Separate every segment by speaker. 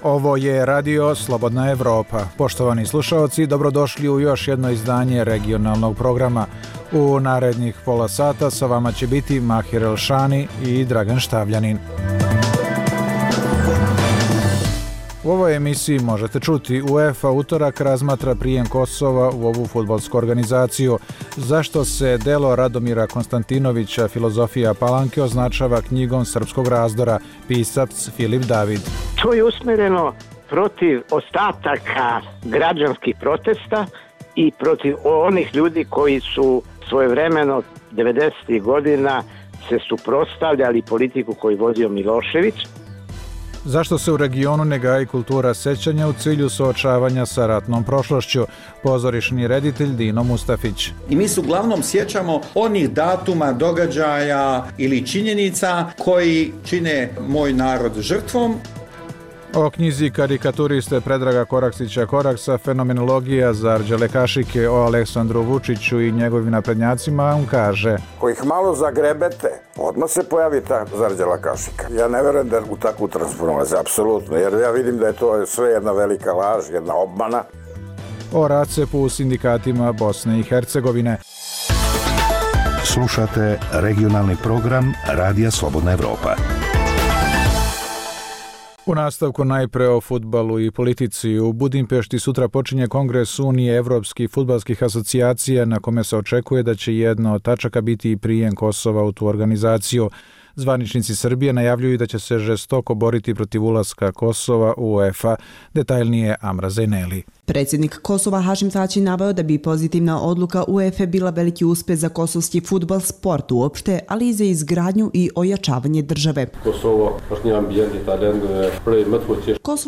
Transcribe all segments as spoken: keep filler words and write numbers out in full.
Speaker 1: Ovo je Radio Slobodna Evropa. Poštovani slušaoci, dobrodošli u još jedno izdanje regionalnog programa. U narednih pola sata sa vama će biti Mahir Elšani i Dragan Štavljanin. U ovoj emisiji možete čuti UEFA utorak razmatra prijem Kosova u ovu fudbalsku organizaciju. Zašto se delo Radomira Konstantinovića Filozofija Palanke označava knjigom srpskog razdora, pisac Filip David.
Speaker 2: To je usmjereno protiv ostataka građanskih protesta i protiv onih ljudi koji su svojevremeno devedesetih godina se suprotstavljali politiku koju vodio Milošević.
Speaker 1: Zašto se u regionu ne gaji kultura sećanja u cilju suočavanja sa ratnom prošlošću? Pozorišni reditelj Dino Mustafić.
Speaker 3: I mi se uglavnom sjećamo onih datuma, događaja ili činjenica koji čine moj narod žrtvom.
Speaker 1: O knjizi karikaturiste Predraga Koraksića Koraksa Fenomenologija za Arđele Kašike o Aleksandru Vučiću i njegovim naprednjacima, on kaže:
Speaker 4: Ko ih malo zagrebete, odmah se pojavi ta Zarđela Kašika. Ja ne verujem da u takvu transformaciju, apsolutno, jer ja vidim da je to sve jedna velika laž, jedna obmana.
Speaker 1: O racepu u sindikatima Bosne i Hercegovine.
Speaker 5: Slušate regionalni program Radija Slobodna Evropa.
Speaker 1: U nastavku najpre o fudbalu i politici. U Budimpešti sutra počinje kongres Unije evropskih fudbalskih asocijacija na kome se očekuje da će jedna od tačaka biti i prijem Kosova u tu organizaciju. Zvaničnici Srbije najavljuju da će se žestoko boriti protiv ulaska Kosova u UEFA. Detaljnije Amra Zejneli.
Speaker 6: Predsjednik Kosova Hašim Tači naveo da bi pozitivna odluka UEFA bila veliki uspjeh za kosovski fudbal, sport uopšte, ali i za izgradnju i ojačavanje države.
Speaker 7: Kosovo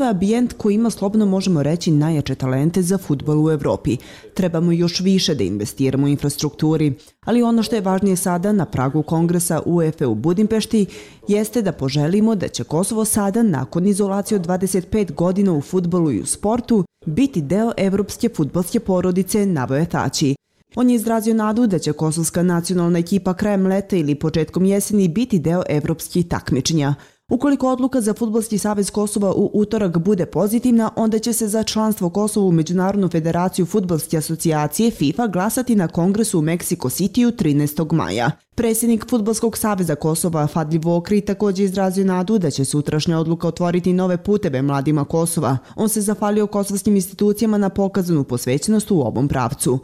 Speaker 6: je ambijent koji ima, slobodno možemo reći, najjače talente za fudbal u Evropi. Trebamo još više da investiramo u infrastrukturi, ali ono što je važnije sada na pragu kongresa UEFA u Budimpešti jeste da poželimo da će Kosovo sada, nakon izolacije od dvadeset pet godina u fudbalu i u sportu, biti deo evropske fudbalske porodice, naveo je Tači. On je izrazio nadu da će kosovska nacionalna ekipa krajem leta ili početkom jeseni biti deo evropskih takmičenja. Ukoliko odluka za Fudbalski savez Kosova u utorak bude pozitivna, onda će se za članstvo Kosova u Međunarodnu federaciju fudbalske asocijacije FIFA glasati na kongresu u Meksiko Cityu trinaestog maja. Predsjednik Fudbalskog saveza Kosova Fadli Vokri također izrazio nadu da će sutrašnja odluka otvoriti nove puteve mladima Kosova. On se zahvalio kosovskim institucijama na pokazanu posvećenost u ovom pravcu.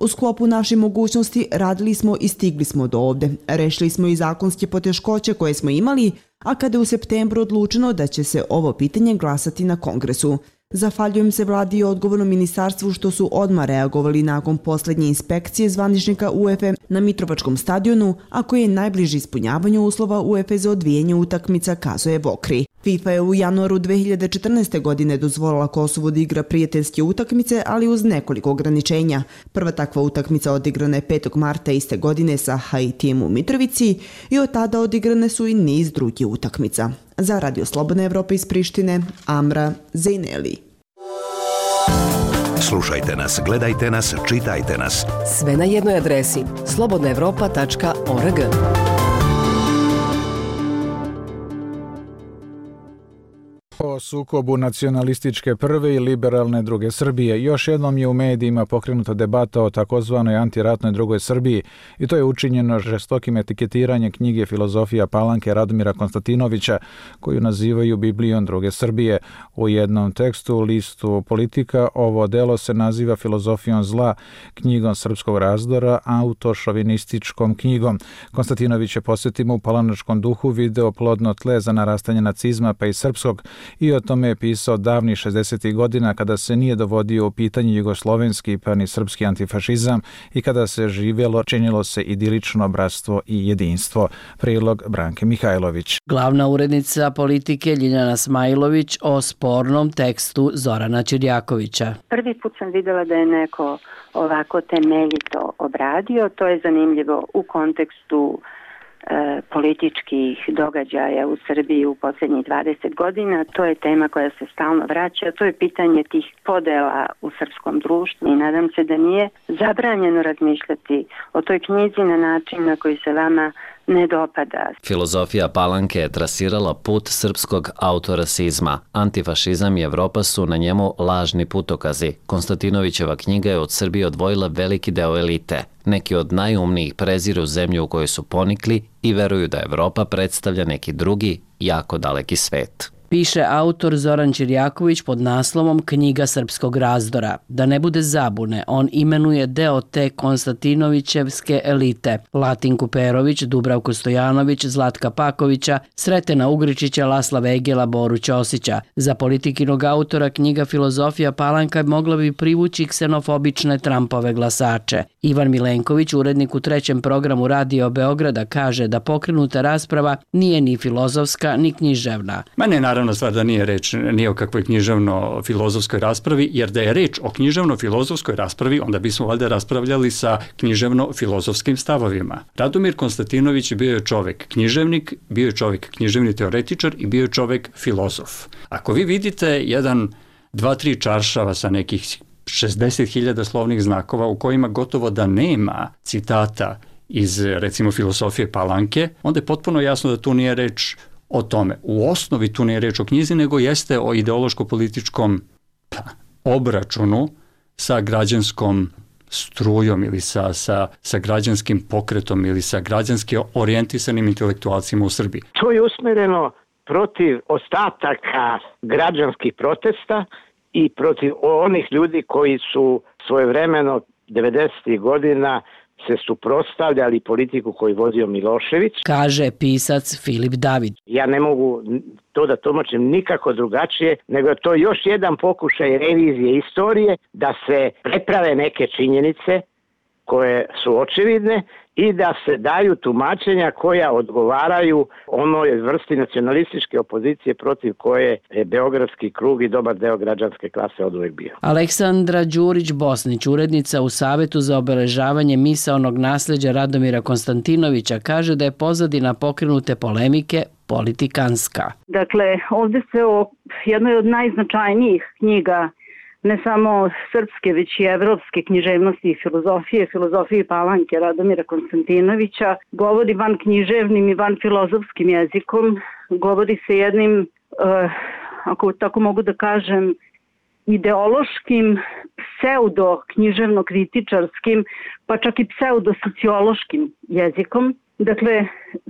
Speaker 6: U sklopu naših mogućnosti radili smo i stigli smo do ovde. Rešili smo i zakonske poteškoće koje smo imali, a kada je u septembru odlučeno da će se ovo pitanje glasati na kongresu. Zahvaljujem se vladi i odgovornom ministarstvu što su odmah reagovali nakon posljednje inspekcije zvaničnika UEFA na Mitrovačkom stadionu, a koji je najbliži ispunjavanju uslova UEFA za odvijanje utakmica, kazuje Vokri. FIFA je u januaru dve hiljade četrnaeste. godine dozvolila Kosovu da igra prijateljske utakmice, ali uz nekoliko ograničenja. Prva takva utakmica odigrana je petog marta iste godine sa Haitijem u Mitrovici i od tada odigrane su i niz drugih utakmica. Za Radio Slobodna Evropa iz Prištine, Amra Zejneli.
Speaker 5: Slušajte nas, gledajte nas, čitajte nas.
Speaker 8: Sve na jednoj adresi slobodna evropa tačka org.
Speaker 1: O sukobu nacionalističke prve i liberalne druge Srbije. Još jednom je u medijima pokrenuta debata o takozvanoj antiratnoj drugoj Srbiji i to je učinjeno žestokim etiketiranjem knjige Filozofija Palanke Radomira Konstantinovića, koju nazivaju Biblijom druge Srbije. U jednom tekstu u listu Politika ovo delo se naziva Filozofijom zla, knjigom srpskog razdora, autošovinističkom knjigom. Konstantinović je, posjetimo, u palanačkom duhu video plodno tle za narastanje nacizma pa i srpskog, i o tome je pisao davnih šezdesetih godina kada se nije dovodio u pitanje jugoslovenski pa ni srpski antifašizam i kada se živjelo, činilo se idilično bratstvo i jedinstvo. Prilog Branke Mihajlović.
Speaker 9: Glavna urednica Politike Ljiljana Smajlović o spornom tekstu Zorana Ćirjakovića.
Speaker 10: Prvi put sam vidjela da je neko ovako temeljito obradio. To je zanimljivo u kontekstu e, političkih događaja u Srbiji u posljednjih dvadeset godina. To je tema koja se stalno vraća. To je pitanje tih podela u srpskom društvu i nadam se da nije zabranjeno razmišljati o toj knjizi na način na koji se vama ne dopada.
Speaker 7: Filozofija Palanke je trasirala put srpskog autorasizma. Antifašizam i Evropa su na njemu lažni putokazi. Konstantinovićeva knjiga je od Srbije odvojila veliki deo elite. Neki od najumnijih preziru zemlju u kojoj su ponikli i veruju da Evropa predstavlja neki drugi, jako daleki svet.
Speaker 9: Piše autor Zoran Ćirjaković pod naslovom Knjiga srpskog razdora. Da ne bude zabune, on imenuje deo te Konstantinovićevske elite. Latinku Perović, Dubravku Stojanović, Zlatka Pakovića, Sretena Ugričića, Lasla Vegela, Boru Ćosića. Za politikinog autora knjiga Filozofija Palanka mogla bi privući ksenofobične Trumpove glasače. Ivan Milenković, urednik u trećem programu Radio Beograda, kaže da pokrenuta rasprava nije ni filozofska ni književna.
Speaker 11: Mene naravno stvar da nije reč ni o kakvoj književno-filozofskoj raspravi, jer da je reč o književno-filozofskoj raspravi, onda bismo valjda raspravljali sa književno-filozofskim stavovima. Radomir Konstantinović bio je čovek književnik, bio je čovek književni teoretičar i bio je čovek filozof. Ako vi vidite jedan, dva, tri čaršava sa nekih šezdeset hiljada slovnih znakova u kojima gotovo da nema citata iz, recimo, filozofije Palanke, onda je potpuno jasno da tu nije reč o tome. U osnovi tu nije reč o knjizi, nego jeste o ideološko-političkom pa, obračunu sa građanskom strujom ili sa, sa, sa građanskim pokretom ili sa građanski orijentisanim intelektualcima u Srbiji.
Speaker 2: To je usmereno protiv ostataka građanskih protesta i protiv onih ljudi koji su svojevremeno devedesetih godina se suprotstavljali politiku koju vodio Milošević.
Speaker 9: Kaže pisac Filip David.
Speaker 2: Ja ne mogu to da tumačim nikako drugačije, nego to je još jedan pokušaj revizije istorije da se preprave neke činjenice koje su očevidne i da se daju tumačenja koja odgovaraju onoj vrsti nacionalističke opozicije protiv koje je beogradski krug i dobar deo građanske klase oduvek bio.
Speaker 9: Aleksandra Đurić-Bosnić, urednica u Savetu za obeležavanje misaonog nasljeđa Radomira Konstantinovića, kaže da je pozadina pokrenute polemike politikanska.
Speaker 10: Dakle, ovdje se o jednoj od najznačajnijih knjiga ne samo srpske, već i evropske književnosti i filozofije, filozofije Palanke Radomira Konstantinovića, govori van književnim i van filozofskim jezikom, govori se jednim, uh, ako tako mogu da kažem, ideološkim, pseudo-književno-kritičarskim, pa čak i pseudo-sociološkim jezikom. Dakle,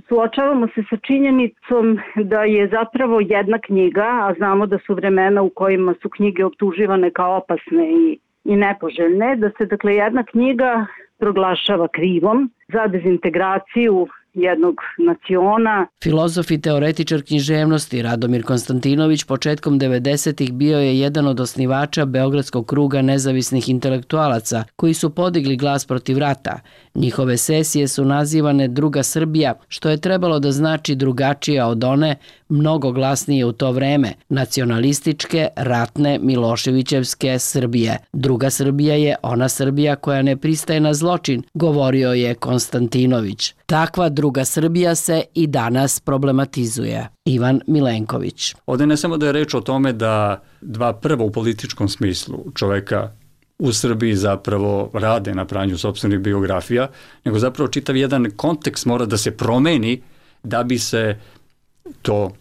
Speaker 10: suočavamo se sa činjenicom da je zapravo jedna knjiga, a znamo da su vremena u kojima su knjige optuživane kao opasne i, i nepoželjne, da se dakle jedna knjiga proglašava krivom za dezintegraciju jednog naciona.
Speaker 9: Filozof i teoretičar književnosti Radomir Konstantinović početkom devedesetih bio je jedan od osnivača Beogradskog kruga nezavisnih intelektualaca koji su podigli glas protiv rata. Njihove sesije su nazivane Druga Srbija, što je trebalo da znači drugačija od one, mnogo glasnije u to vreme, nacionalističke, ratne, Miloševićevske Srbije. Druga Srbija je ona Srbija koja ne pristaje na zločin, govorio je Konstantinović. Takva Druga Srbija se i danas problematizuje. Ivan Milenković.
Speaker 11: Ovdje ne samo da je reč o tome da dva prva u političkom smislu čoveka u Srbiji zapravo rade na pranju sopstvenih biografija, nego zapravo čitav jedan kontekst mora da se promeni da bi se to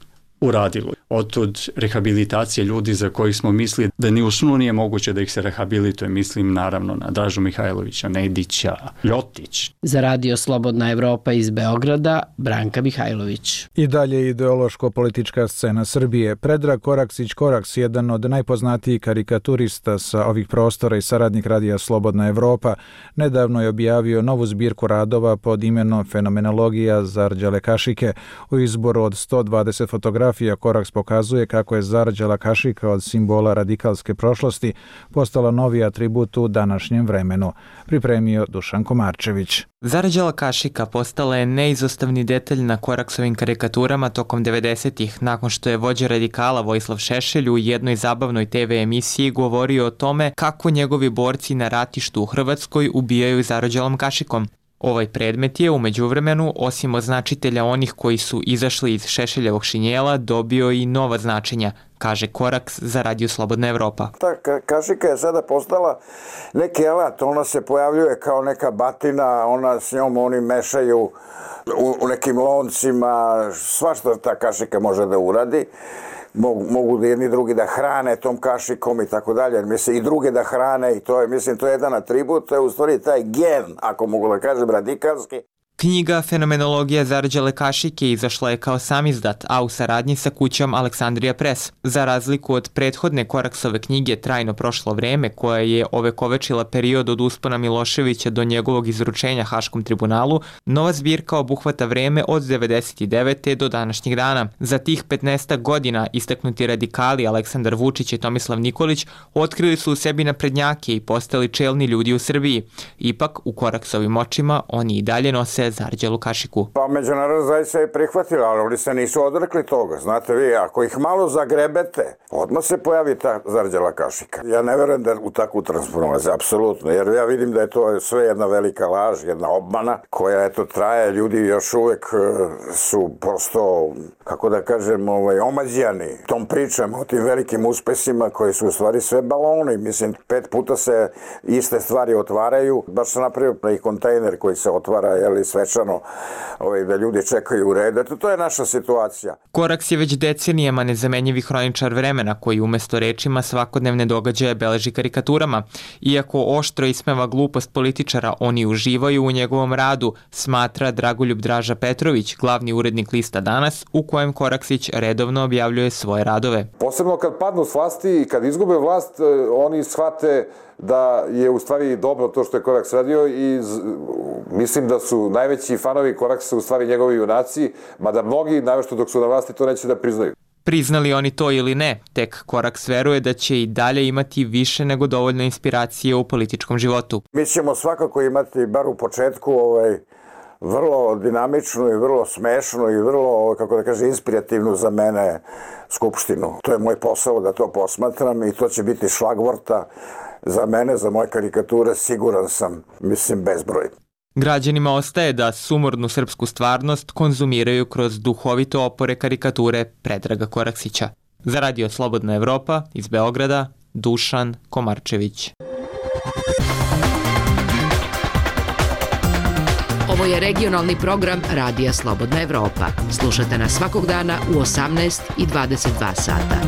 Speaker 11: uradilo. Otud rehabilitacije ljudi za kojih smo mislili da ni u snu nije moguće da ih se rehabilituje. Mislim naravno na Dražu Mihajlovića, Nedića, Ljotić.
Speaker 9: Za Radio Slobodna Evropa iz Beograda, Branka Mihajlović.
Speaker 1: I dalje ideološko-politička scena Srbije. Predrag Koraksić-Koraks, jedan od najpoznatijih karikaturista sa ovih prostora i saradnik Radija Slobodna Evropa, nedavno je objavio novu zbirku radova pod imenom Fenomenologija zarđale kašike. U izboru od sto dvadeset fotografija Koraks pokazuje kako je zarđala kašika od simbola radikalske prošlosti postala novi atribut u današnjem vremenu. Pripremio Dušan Komarčević.
Speaker 12: Zarđala kašika postala je neizostavni detalj na Koraksovim karikaturama tokom devedesetih, nakon što je vođa radikala Vojislav Šešelj u jednoj zabavnoj te ve emisiji govorio o tome kako njegovi borci na ratištu u Hrvatskoj ubijaju zarđalom kašikom. Ovaj predmet je, u međuvremenu, osim označitelja onih koji su izašli iz Šešeljevog šinjela, dobio i nova značenja, kaže Koraks za Radio Slobodna Evropa.
Speaker 4: Ta ka- kašika je sada postala neki alat, ona se pojavljuje kao neka batina, ona s njom oni mešaju u, u nekim loncima, svašta ta kašika može da uradi. Mogu, mogu da jedni drugi da hrane tom kašikom i tako dalje, mislim i druge da hrane i to je, mislim, to je jedan atribut, to je u stvari taj gen, ako mogu da kažem, radikalski.
Speaker 12: Knjiga Fenomenologija zarđale kašike izašla je kao samizdat, a u saradnji sa kućom Aleksandrija Press. Za razliku od prethodne Koraksove knjige Trajno prošlo vreme, koja je ovekovečila period od uspona Miloševića do njegovog izručenja Haškom tribunalu, nova zbirka obuhvata vreme od devedeset devete do današnjeg dana. Za tih petnaestak godina istaknuti radikali Aleksandar Vučić i Tomislav Nikolić otkrili su u sebi naprednjake i postali čelni ljudi u Srbiji. Ipak, u Koraksovim očima oni i dalje nose zarđalu kašiku.
Speaker 4: Pa međunarodna zajednica je prihvatila, ali oni se nisu odrekli toga. Znate vi, ako ih malo zagrebete, odmah se pojavi ta zarđala kašika. Ja ne verujem da u takvu transformaciju, apsolutno, jer ja vidim da je to sve jedna velika laž, jedna obmana, koja eto traje, ljudi još uvek su prosto, kako da kažem, ovaj, omađijani tom pričam o tim velikim uspesima koji su u stvari sve baloni. Mislim, pet puta se iste stvari otvaraju, baš se napravio i kontejner koji se otvara, jeli, svečano, ovaj, da ljudi čekaju u red. Eto, to je naša situacija.
Speaker 12: Koraks je već decenijama nezamenjivi hroničar vremena koji umesto rečima svakodnevne događaje beleži karikaturama. Iako oštro ismeva glupost političara, oni uživaju u njegovom radu, smatra Dragoljub Draža Petrović, glavni urednik lista Danas, u kojem Koraksić redovno objavljuje svoje radove.
Speaker 13: Posebno kad padnu s vlasti i kad izgube vlast, oni shvate da je u stvari dobro to što je Koraks radio i mislim da su najveći fanovi Koraksa u stvari njegovi junaci, mada mnogi, najvešto dok su na vlasti, to neće da priznaju.
Speaker 12: Priznali oni to ili ne, tek Koraks veruje da će i dalje imati više nego dovoljno inspiracije u političkom životu.
Speaker 4: Mi ćemo svakako imati, bar u početku, ovaj, vrlo dinamičnu i vrlo smešnu i vrlo, kako da kaže, inspirativnu za mene skupštinu. To je moj posao da to posmatram i to će biti šlagvorta za mene, za moje karikature, siguran sam, mislim, bezbroj.
Speaker 12: Građanima ostaje da sumornu srpsku stvarnost konzumiraju kroz duhovito opore karikature Predraga Koraksića. Za Radio Slobodna Evropa iz Beograda, Dušan Komarčević.
Speaker 8: Ovo je regionalni program Radija Slobodna Evropa. Slušate nas svakog dana u osamnaest i dvadeset dva sata.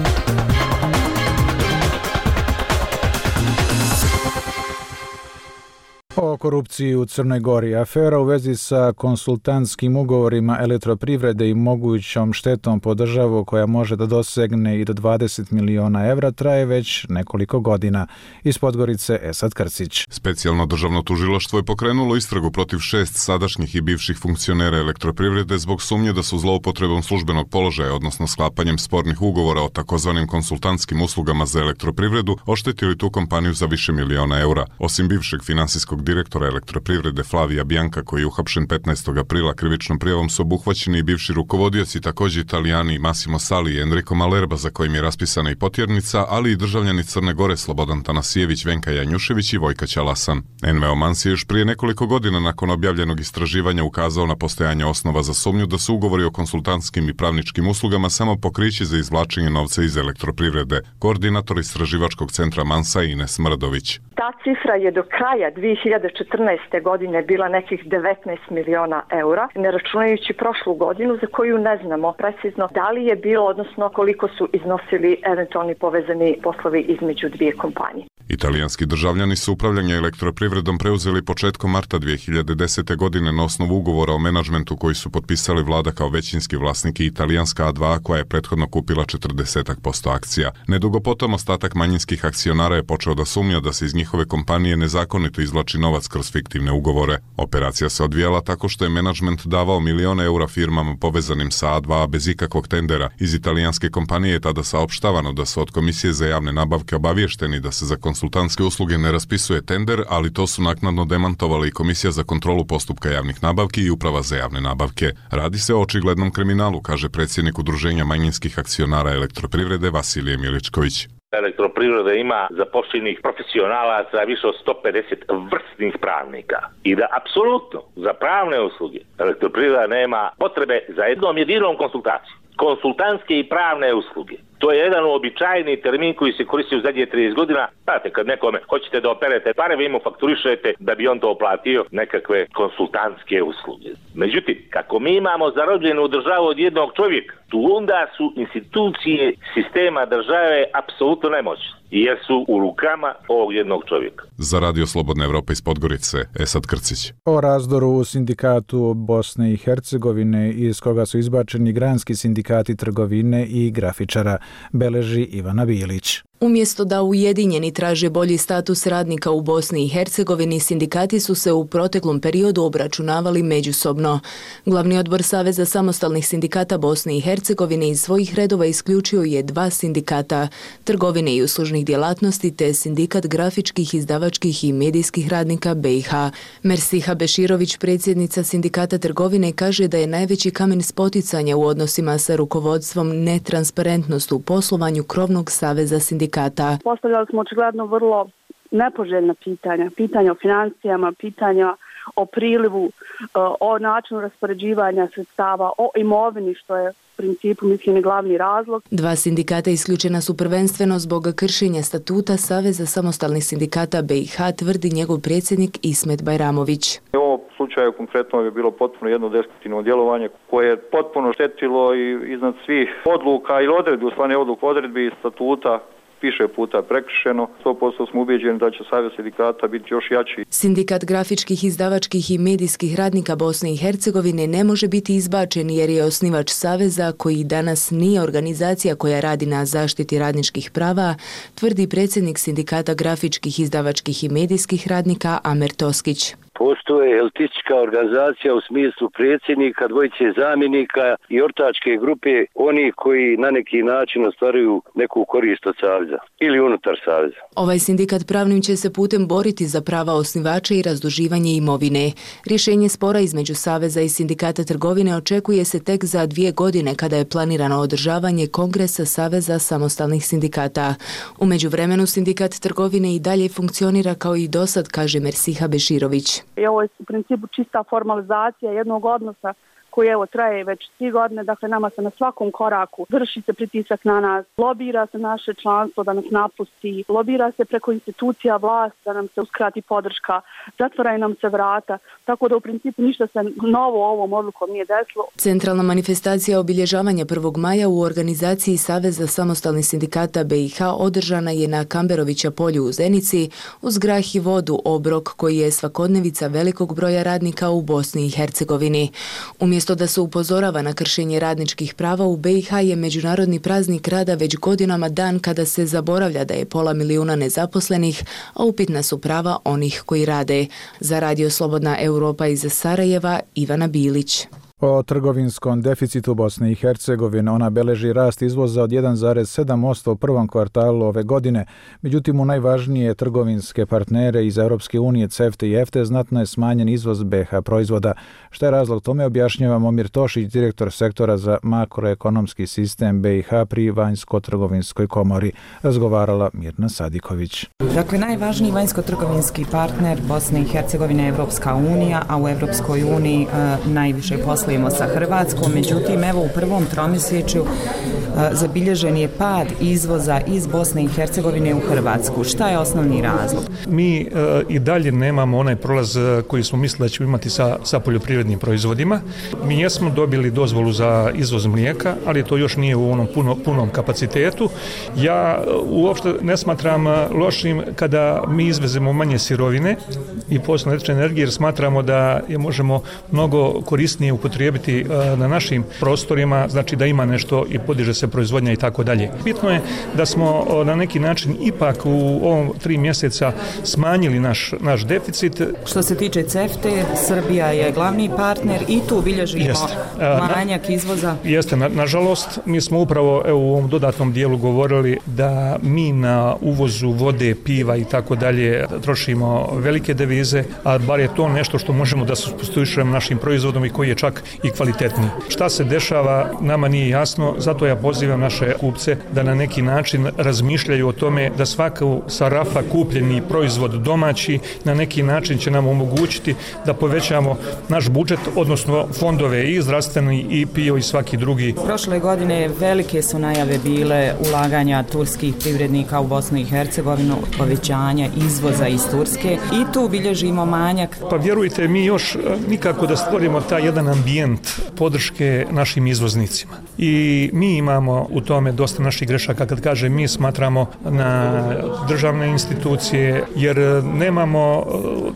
Speaker 1: O korupciji u Crnoj Gori. Afera u vezi sa konsultantskim ugovorima elektroprivrede i mogućom štetom po državu koja može da dosegne i do dvadeset miliona evra traje već nekoliko godina. Iz Podgorice Esad Krcić.
Speaker 14: Specijalno državno tužilaštvo je pokrenulo istragu protiv šest sadašnjih i bivših funkcionera elektroprivrede zbog sumnje da su zloupotrebom službenog položaja, odnosno sklapanjem spornih ugovora o takozvanim konsultantskim uslugama za elektroprivredu, oštetili tu kompaniju za više miliona eura. Osim bivšeg finansijskog direktora elektroprivrede Flavija Bjanka, koji je uhapšen petnaestog aprila krivičnom prijavom, su obuhvaćeni i bivši rukovodioci, također Italijani Massimo Sali i Enrico Malerba, za kojim je raspisana i potjernica, ali i državljani Crne Gore Slobodan Tanasijević, Venka Janjušević i Vojka Ćalasan. Enveo Mans je još prije nekoliko godina nakon objavljenog istraživanja ukazao na postojanje osnova za sumnju da su ugovori o konsultantskim i pravničkim uslugama samo pokriće za izvlačenje novca iz elektroprivrede. Koordinator istraživačkog centra Mansa Ines Mrdović.
Speaker 15: Ta cifra je do kraja dvije hiljade četrnaeste. godine bila nekih devetnaest miliona eura, ne računajući prošlu godinu za koju ne znamo precizno da li je bilo, odnosno koliko su iznosili eventualni povezani poslovi između dvije kompanije.
Speaker 14: Italijanski državljani su upravljanje elektroprivredom preuzeli početkom marta dvije hiljade desete. godine na osnovu ugovora o menadžmentu koji su potpisali vlada kao većinski vlasnik i italijanska A dva, koja je prethodno kupila četrdeset posto akcija. Nedugo potom ostatak manjinskih akcionara je počeo da sumnja da se iz njihove kompanije nezakonito izvlači novac kroz fiktivne ugovore. Operacija se odvijala tako što je menadžment davao milione eura firmama povezanim sa A dva bez ikakvog tendera. Iz italijanske kompanije je tada saopštavano da su od Komisije za javne nabavke obavješteni da se za konsultantske usluge ne raspisuje tender, ali to su naknadno demantovali i Komisija za kontrolu postupka javnih nabavki i Uprava za javne nabavke. Radi se o očiglednom kriminalu, kaže predsjednik Udruženja manjinskih akcionara elektroprivrede Vasilije Miličković.
Speaker 16: Elektroprivreda ima zapošljenih profesionalaca više od sto pedeset vrsnih pravnika i da apsolutno za pravne usluge Elektroprivreda nema potrebe za jednom jedinom konsultacijom. Konsultantske i pravne usluge. To je jedan uobičajeni termin koji se koristi u zadnje trideset godina. Znate, kad nekome hoćete da operete pare, vi mu fakturišete da bi on to platio nekakve konsultantske usluge. Međutim, kako mi imamo zarobljenu državu od jednog čovjeka, tu onda su institucije sistema države apsolutno nemoćne, jer su u rukama ovog jednog čovjeka.
Speaker 14: Za Radio Slobodna Evropa iz Podgorice, Esad Krcić.
Speaker 1: O razdoru u sindikatu Bosne i Hercegovine iz koga su izbačeni granski sindikati trgovine i grafičara, beleži Ivana Bilić.
Speaker 17: Umjesto da ujedinjeni traže bolji status radnika u Bosni i Hercegovini, sindikati su se u proteklom periodu obračunavali međusobno. Glavni odbor Saveza samostalnih sindikata Bosne i Hercegovine iz svojih redova isključio je dva sindikata, trgovine i uslužnih djelatnosti te sindikat grafičkih, izdavačkih i medijskih radnika B i H. Mersiha Beširović, predsjednica sindikata trgovine, kaže da je najveći kamen spoticanja u odnosima sa rukovodstvom netransparentnost u poslovanju krovnog saveza sindikata.
Speaker 10: Postavljali smo očigledno vrlo nepoželjna pitanja, pitanja o financijama, pitanja o prilivu, o načinu raspoređivanja sredstava, o imovini, što je u principu, mislim, i glavni razlog.
Speaker 17: Dva sindikata isključena su prvenstveno zbog kršenja statuta Saveza samostalnih sindikata B i H, tvrdi njegov predsjednik Ismet Bajramović.
Speaker 18: U ovom slučaju konkretno je bilo potpuno jedno destruktivno djelovanje koje je potpuno štetilo i iznad svih odluka ili odredbi, u stvari odluka odredbi i statuta više puta prekršeno. sto posto smo ubeđeni da će Savez sindikata biti još jači.
Speaker 17: Sindikat grafičkih, izdavačkih i medijskih radnika Bosne i Hercegovine ne može biti izbačen jer je osnivač Saveza, koji danas nije organizacija koja radi na zaštiti radničkih prava, tvrdi predsjednik Sindikata grafičkih, izdavačkih i medijskih radnika Amer Toskić.
Speaker 19: Postoje elitistička organizacija u smislu predsjednika, dvojice zamjenika i ortačke grupe, oni koji na neki način ostvaruju neku korist od Saveza ili unutar Saveza.
Speaker 17: Ovaj sindikat pravnim će se putem boriti za prava osnivača i razduživanje imovine. Rješenje spora između Saveza i Sindikata trgovine očekuje se tek za dvije godine kada je planirano održavanje Kongresa Saveza samostalnih sindikata. U međuvremenu Sindikat trgovine i dalje funkcionira kao i dosad, kaže Mersiha Beširović.
Speaker 10: I ovo je u principu čista formalizacija jednog odnosa koji evo traje već tri godine, dakle nama se na svakom koraku vrši se pritisak na nas, lobira se naše članstvo da nas napusti, lobira se preko institucija vlast da nam se uskrati podrška, zatvaraju nam se vrata, tako da u principu ništa se novo ovom odlukom nije desilo.
Speaker 17: Centralna manifestacija obilježavanja prvog maja u organizaciji Saveza samostalnih sindikata B i H održana je na Kamberovića polju u Zenici uz grah i vodu, obrok koji je svakodnevica velikog broja radnika u Bosni i Hercegovini. Umjesto da se upozorava na kršenje radničkih prava, u B i H je Međunarodni praznik rada već godinama dan kada se zaboravlja da je pola milijuna nezaposlenih, a upitna su prava onih koji rade. Za Radio Slobodna Europa iz Sarajeva, Ivana Bilić.
Speaker 1: O trgovinskom deficitu Bosne i Hercegovine ona beleži rast izvoza od jedan zarez sedam posto u prvom kvartalu ove godine. Međutim, u najvažnije trgovinske partnere iz Europske unije, CEFTA i EFTA, znatno je smanjen izvoz B i H proizvoda. Šta je razlog tome, objašnjava Momir Tošić, direktor sektora za makroekonomski sistem B i H pri Vanjsko-trgovinskoj komori. Razgovarala Mirna Sadiković.
Speaker 20: Dakle, najvažniji vanjsko-trgovinski partner Bosne i Hercegovine je Evropska unija, a u Evropskoj uniji e, najviše posle sa Hrvatskom, međutim, evo u prvom tromjesečju zabilježen je pad izvoza iz Bosne i Hercegovine u Hrvatsku. Šta je osnovni razlog?
Speaker 21: Mi uh, i dalje nemamo onaj prolaz koji smo mislili da ćemo imati sa, sa poljoprivrednim proizvodima. Mi jesmo dobili dozvolu za izvoz mlijeka, ali to još nije u onom puno, punom kapacitetu. Ja uopšte ne smatram lošim kada mi izvezemo manje sirovine i posebno električne energije, jer smatramo da je možemo mnogo korisnije upotrijebiti uh, na našim prostorima, znači da ima nešto i podiže se proizvodnja i tako dalje. Bitno je da smo uh, na neki način ipak u ovom tri mjeseca smanjili naš, naš deficit.
Speaker 20: Što se tiče CEFTA, Srbija je glavni partner i tu bilježimo manjak izvoza.
Speaker 21: Jeste, na, nažalost, mi smo upravo evo, u ovom dodatnom dijelu govorili da mi na uvozu vode, piva i tako dalje trošimo velike devize, a bar je to nešto što možemo da supstituiramo našim proizvodom i koji je čak i kvalitetniji. Šta se dešava, nama nije jasno, zato ja pozivam naše kupce da na neki način razmišljaju o tome da svaku sa rafa kupljeni proizvod domaći na neki način će nam omogućiti da povećamo naš budžet, odnosno fondove i zdravstveni i P I O i svaki drugi.
Speaker 20: Prošle godine velike su najave bile ulaganja turskih privrednika u Bosnu i Hercegovinu, povećanja izvoza iz Turske i tu bilježimo manjak.
Speaker 21: Pa vjerujte, mi još nikako da stvorimo taj jedan ambijent podrške našim izvoznicima. I mi imamo u tome dosta naših grešaka. Kad kažem mi, smatramo na državne institucije, jer nemamo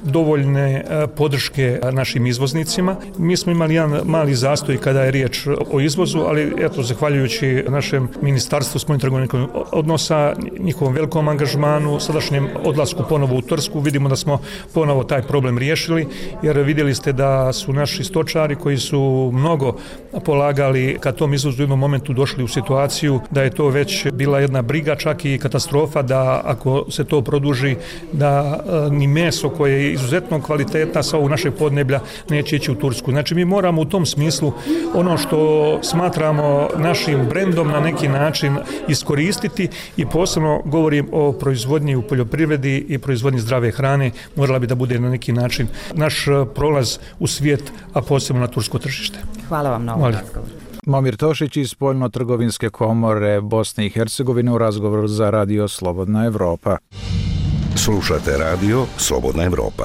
Speaker 21: dovoljne podrške našim izvoznicima. Mi smo imali jedan mali zastoj kada je riječ o izvozu, ali eto, zahvaljujući našem ministarstvu spoljnotrgovinskih odnosa, njihovom velikom angažmanu, sadašnjem odlasku ponovo u Tursku, vidimo da smo ponovo taj problem riješili, jer vidjeli ste da su naši stočari koji su mnogo polagali ka tom izvozu u jednom momentu došli u situaciju da je to već bila jedna briga, čak i katastrofa, da ako se to produži, da ni meso koje je izuzetno kvalitetna sa ovog našeg podneblja neće ići u Tursku. Znači mi moramo u tom smislu ono što smatramo našim brendom na neki način iskoristiti i posebno govorim o proizvodnji u poljoprivredi i proizvodnji zdrave hrane, morala bi da bude na neki način naš prolaz u svijet, a posebno na tursko tržište.
Speaker 20: Hvala vam na ovom razgovoru.
Speaker 1: Momir Tošić iz Spoljno-trgovinske komore Bosne i Hercegovine u razgovoru za Radio Slobodna Evropa.
Speaker 5: Slušate Radio Slobodna Evropa.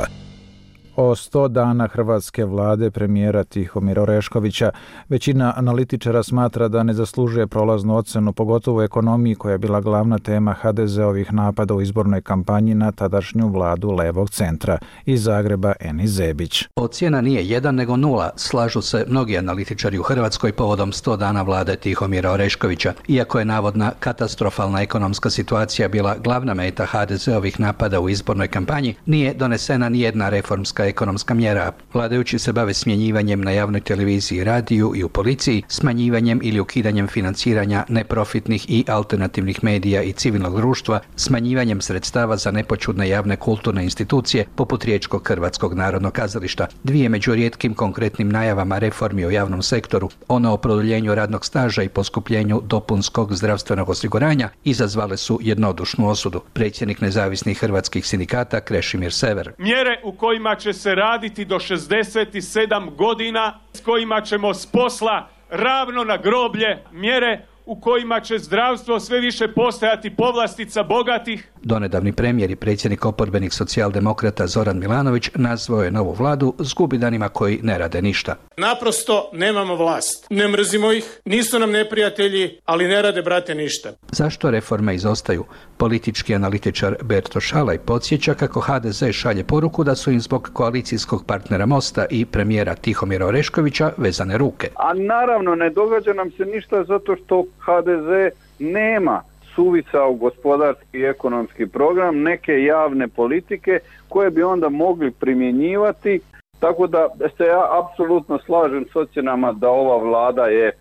Speaker 1: O sto dana hrvatske vlade premijera Tihomira Oreškovića većina analitičara smatra da ne zaslužuje prolaznu ocenu, pogotovo u ekonomiji koja je bila glavna tema ha de zeovih napada u izbornoj kampanji na tadašnju vladu levog centra. Iz Zagreba Enis Zebić.
Speaker 3: Ocjena nije jedan nego nula, slažu se mnogi analitičari u Hrvatskoj povodom sto dana vlade Tihomira Oreškovića. Iako je navodna katastrofalna ekonomska situacija bila glavna meta ha de zeovih napada u izbornoj kampanji, nije donesena ni jedna reformska ekonomska mjera. Vladajući se bave smjenjivanjem na javnoj televiziji, radiju i u policiji, smanjivanjem ili ukidanjem financiranja neprofitnih i alternativnih medija i civilnog društva, smanjivanjem sredstava za nepoćudne javne kulturne institucije poput Riječkog Hrvatskog narodnog kazališta. Dvije među rijetkim konkretnim najavama reformi u javnom sektoru, ono o produljenju radnog staža i poskupljenju dopunskog zdravstvenog osiguranja, izazvale su jednodušnu osudu. Predsjednik nezavisnih hrvatskih sindikata Krešimir Sever.
Speaker 22: Mjere u kojima će se raditi do šezdeset sedam godina, s kojima ćemo s posla ravno na groblje, mjere u kojima će zdravstvo sve više postajati povlastica bogatih.
Speaker 3: Donedavni premijer i predsjednik oporbenih socijaldemokrata Zoran Milanović nazvao je novu vladu zgubidanima koji ne rade ništa.
Speaker 22: Naprosto nemamo vlast. Ne mrzimo ih, nisu nam neprijatelji, ali ne rade, brate, ništa.
Speaker 3: Zašto reforme izostaju? Politički analitičar Berto Šalaj podsjeća kako ha de ze šalje poruku da su im zbog koalicijskog partnera Mosta i premijera Tihomira Oreškovića vezane ruke.
Speaker 23: A naravno ne događa nam se ništa zato što ha de ze nema suvisao gospodarski i ekonomski program, neke javne politike koje bi onda mogli primjenjivati. Tako da se ja apsolutno slažem s ocjenama da ova vlada je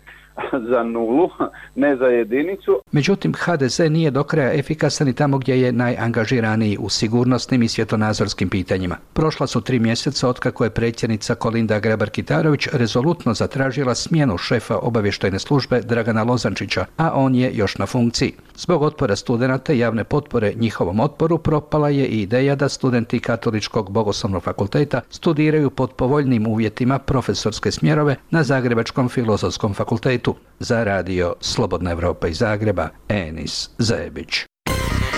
Speaker 23: za nulu, ne za jedinicu.
Speaker 3: Međutim, ha de ze nije do kraja efikasan i tamo gdje je najangažiraniji u sigurnosnim i svjetonazorskim pitanjima. Prošla su tri mjeseca otkako je predsjednica Kolinda Grabar-Kitarović rezolutno zatražila smjenu šefa obavještajne službe Dragana Lozančića, a on je još na funkciji. Zbog otpora studenata i javne potpore njihovom otporu propala je i ideja da studenti Katoličkog bogoslovnog fakulteta studiraju pod povoljnim uvjetima profesorske smjerove na Zagrebačkom filozofskom fakultetu. Za Radio Slobodna Evropa iz Zagreba, Enis Zebić.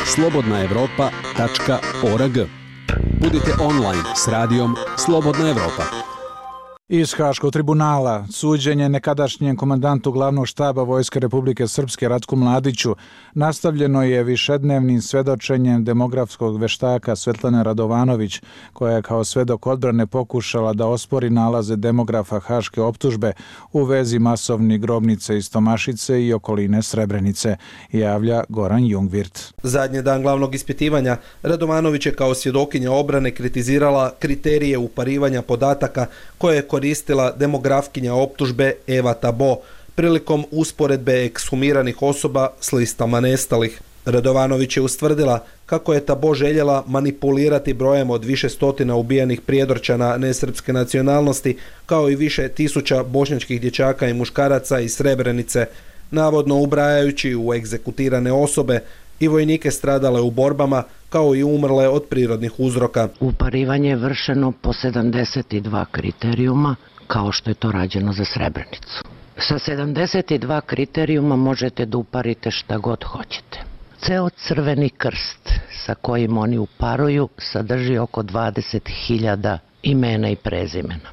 Speaker 24: slobodna evropa tačka org. Budite online s radijom Slobodna Evropa.
Speaker 1: Iz Haškog tribunala suđenje nekadašnjem komandantu glavnog štaba Vojske Republike Srpske Ratku Mladiću nastavljeno je višednevnim svedočenjem demografskog veštaka Svetlane Radovanović, koja je kao svedok odbrane pokušala da ospori nalaze demografa haške optužbe u vezi masovnih grobnice iz Tomašice i okoline Srebrenice, javlja Goran Jungvirt.
Speaker 25: Zadnji dan glavnog ispitivanja Radovanović je kao svjedokinja obrane kritizirala kriterije uparivanja podataka koje je koristila demografkinja optužbe Eva Tabo prilikom usporedbe ekshumiranih osoba s listama nestalih. Radovanović je ustvrdila kako je Tabo željela manipulirati brojem od više stotina ubijenih prijedorčana nesrpske nacionalnosti, kao i više tisuća bošnjačkih dječaka i muškaraca iz Srebrenice, navodno ubrajajući u egzekutirane osobe i vojnike stradale u borbama, kao i umrle od prirodnih uzroka.
Speaker 2: Uparivanje je vršeno po sedamdeset dva kriterijuma, kao što je to rađeno za Srebrenicu. Sa sedamdeset dva kriterijuma možete da uparite šta god hoćete. Ceo crveni krst sa kojim oni uparuju sadrži oko dvadeset hiljada imena i prezimena.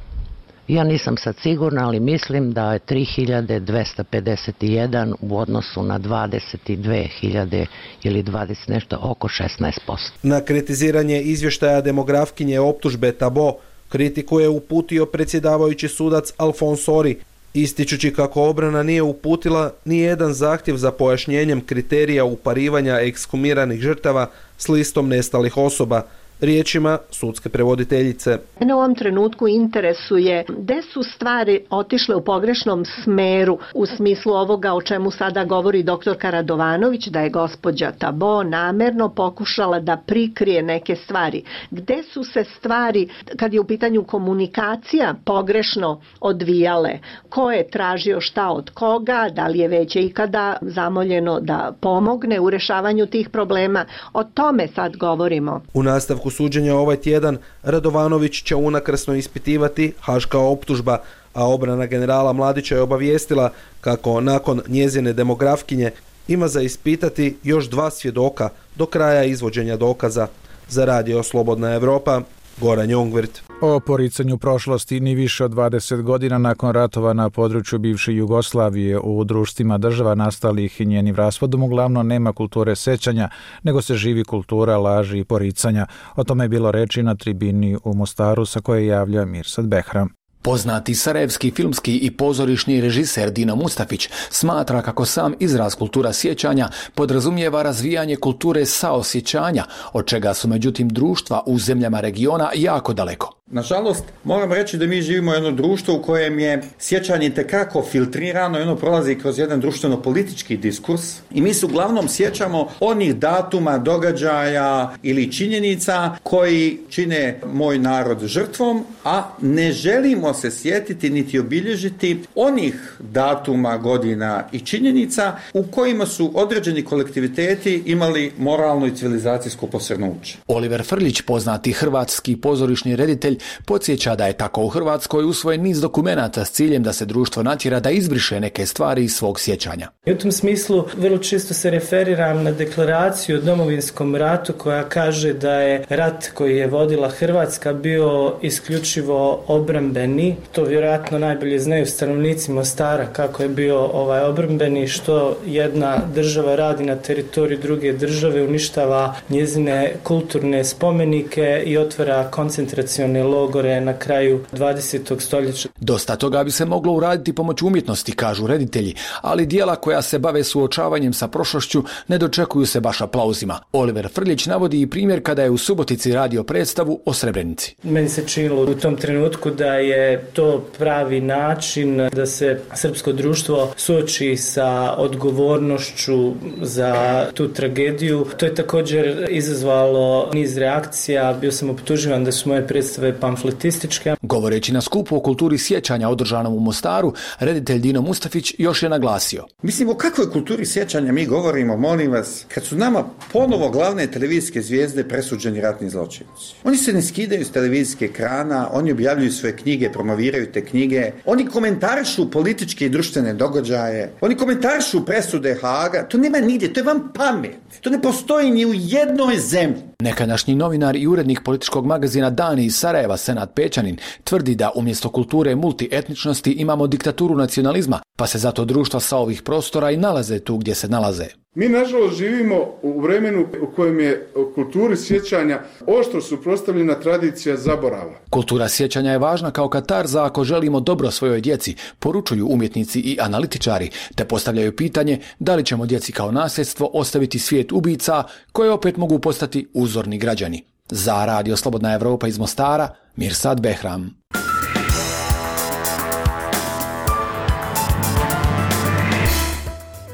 Speaker 2: Ja nisam sad sigurna, ali mislim da je tri hiljade dvesta pedeset jedan u odnosu na dvadeset dve hiljade ili dvadeset nešto, oko šesnaest posto.
Speaker 25: Na kritiziranje izvještaja demografkinje optužbe Tabo kritiku je uputio predsjedavajući sudac Alfons Ori, ističući kako obrana nije uputila ni jedan zahtjev za pojašnjenjem kriterija uparivanja ekshumiranih žrtava s listom nestalih osoba. Riječima sudske prevoditeljice.
Speaker 6: Mene u ovom trenutku interesuje gde su stvari otišle u pogrešnom smeru u smislu ovoga o čemu sada govori doktorka Radovanović, da je gospođa Tabo namerno pokušala da prikrije neke stvari. Gde su se stvari, kad je u pitanju komunikacija, pogrešno odvijale? Ko je tražio šta od koga? Da li je već ikada zamoljeno da pomogne u rešavanju tih problema? O tome sad govorimo.
Speaker 25: U nastavku suđenja ovaj tjedan Radovanović će unakrsno ispitivati haška optužba, a obrana generala Mladića je obavijestila kako nakon njezine demografkinje ima za ispitati još dva svjedoka do kraja izvođenja dokaza. Za Radio Slobodna Evropa, Goran Jongvirt.
Speaker 1: O poricanju prošlosti ni više od dvadeset godina nakon ratova na području bivše Jugoslavije u društvima država nastalih i njenim raspadom uglavnom nema kulture sećanja, nego se živi kultura laži i poricanja. O tome je bilo reči na tribini u Mostaru sa koje javlja Mirsad Behram.
Speaker 7: Poznati sarajevski filmski i pozorišni režiser Dino Mustafić smatra kako sam izraz kultura sjećanja podrazumijeva razvijanje kulture saosjećanja, od čega su međutim društva u zemljama regiona jako daleko.
Speaker 9: Nažalost, moram reći da mi živimo u jedno društvo u kojem je sjećanje tekako filtrirano i ono prolazi kroz jedan društveno-politički diskurs i mi se uglavnom sjećamo onih datuma, događaja ili činjenica koji čine moj narod žrtvom, a ne želimo se sjetiti niti obilježiti onih datuma, godina i činjenica u kojima su određeni kolektiviteti imali moralno i civilizacijsko posrnuće.
Speaker 7: Oliver Frljić, poznati hrvatski pozorišni reditelj, podsjeća da je tako u Hrvatskoj usvojen niz dokumenata s ciljem da se društvo natjera da izbriše neke stvari iz svog sjećanja.
Speaker 11: I u tom smislu vrlo često se referiram na deklaraciju o Domovinskom ratu koja kaže da je rat koji je vodila Hrvatska bio isključivo obrambeni. To vjerojatno najbolje znaju stanovnici Mostara kako je bio ovaj obrambeni, što jedna država radi na teritoriju druge države, uništava njezine kulturne spomenike i otvara koncentracione logore na kraju dvadesetog stoljeća.
Speaker 7: Dosta toga bi se moglo uraditi pomoću umjetnosti, kažu reditelji, ali dijela koja se bave suočavanjem sa prošlošću ne dočekuju se baš aplauzima. Oliver Frljić navodi i primjer kada je u Subotici radio predstavu o Srebrenici.
Speaker 11: Meni se činilo u tom trenutku da je to pravi način da se srpsko društvo suoči sa odgovornošću za tu tragediju. To je također izazvalo niz reakcija. Bio sam optuživan da su moje predstave pamfletističke.
Speaker 7: Govoreći na skupu o kulturi sjećanja održanom u Mostaru, reditelj Dino Mustafić još je naglasio.
Speaker 9: Mislim, o kakvoj kulturi sjećanja mi govorimo, molim vas, kad su nama ponovo glavne televizijske zvijezde presuđeni ratni zločinci. Oni se ne skidaju s televizijske ekrana, oni objavljuju svoje knjige, promoviraju te knjige, oni komentarišu političke i društvene događaje, oni komentarišu presude Haaga, to nema nigdje, to je vam pamet. To ne postoji ni u jednoj zemlji.
Speaker 7: Nekadašnji novinar i urednik političkog magazina Dani iz Sarajeva, Senad Pećanin, tvrdi da umjesto kulture multietničnosti imamo diktaturu nacionalizma, pa se zato društva sa ovih prostora i nalaze tu gdje se nalaze.
Speaker 26: Mi nažalost živimo u vremenu u kojem je kulturi sjećanja oštro suprotstavljena tradicija zaborava.
Speaker 7: Kultura sjećanja je važna kao katarza ako želimo dobro svojoj djeci, poručuju umjetnici i analitičari, te postavljaju pitanje da li ćemo djeci kao nasljedstvo ostaviti svijet ubica koje opet mogu postati uzorni građani. Za Radio Slobodna Evropa iz Mostara, Mirsad Behram.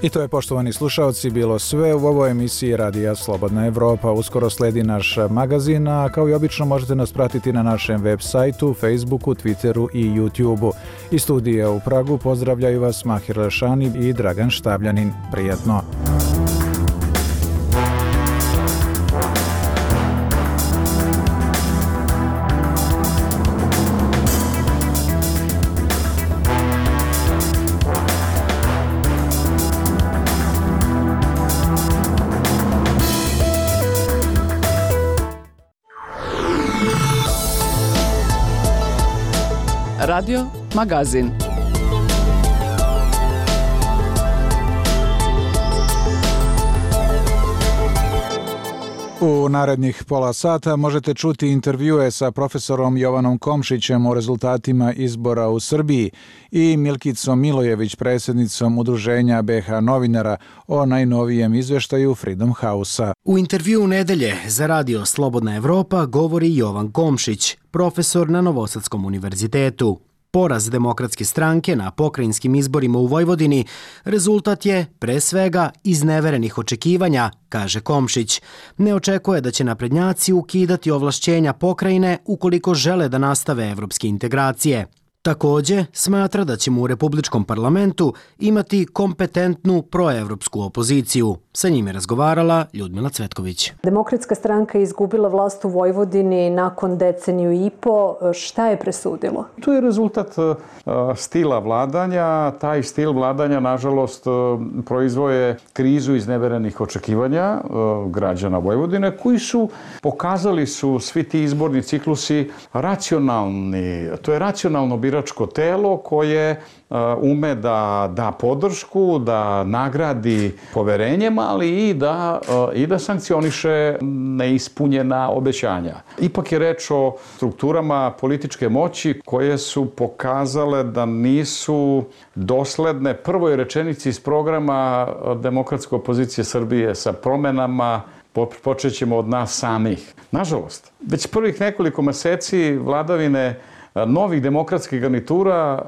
Speaker 1: I to je, poštovani slušalci, bilo sve u ovoj emisiji Radija Slobodna Evropa. Uskoro sledi naš magazin, a kao i obično možete nas pratiti na našem web sajtu, Facebooku, Twitteru i YouTubeu. Iz studija u Pragu pozdravljaju vas Mahir Lešani i Dragan Štabljanin. Prijetno!
Speaker 4: Radio Magazin.
Speaker 1: U narednih pola sata možete čuti intervjue sa profesorom Jovanom Komšićem o rezultatima izbora u Srbiji i Milkicom Milojević, predsjednicom Udruženja B H novinara, o najnovijem izveštaju Freedom House-a.
Speaker 8: U intervjuu nedelje za Radio Slobodna Evropa govori Jovan Komšić, profesor na Novosadskom univerzitetu. Poraz Demokratske stranke na pokrajinskim izborima u Vojvodini rezultat je, pre svega, izneverenih očekivanja, kaže Komšić. Ne očekuje da će naprednjaci ukidati ovlašćenja pokrajine ukoliko žele da nastave evropske integracije. Takođe, smatra da ćemo u Republičkom parlamentu imati kompetentnu proevropsku opoziciju. Sa njim je razgovarala Ljudmila Cvetković.
Speaker 12: Demokratska stranka je izgubila vlast u Vojvodini nakon deceniju i po. Šta je presudilo?
Speaker 13: To je rezultat uh, stila vladanja. Taj stil vladanja, nažalost, uh, proizvoje krizu izneverenih očekivanja uh, građana Vojvodine, koji su, pokazali su svi ti izborni ciklusi racionalni. To je racionalno biračko telo koje ume da da podršku, da nagradi poverenjem, ali i da, i da sankcioniše neispunjena obećanja. Ipak je reč o strukturama političke moći koje su pokazale da nisu dosledne prvoj rečenici iz programa Demokratske opozicije Srbije sa promenama. Počet ćemo od nas samih. Nažalost, već prvih nekoliko meseci vladavine novih demokratskih garnitura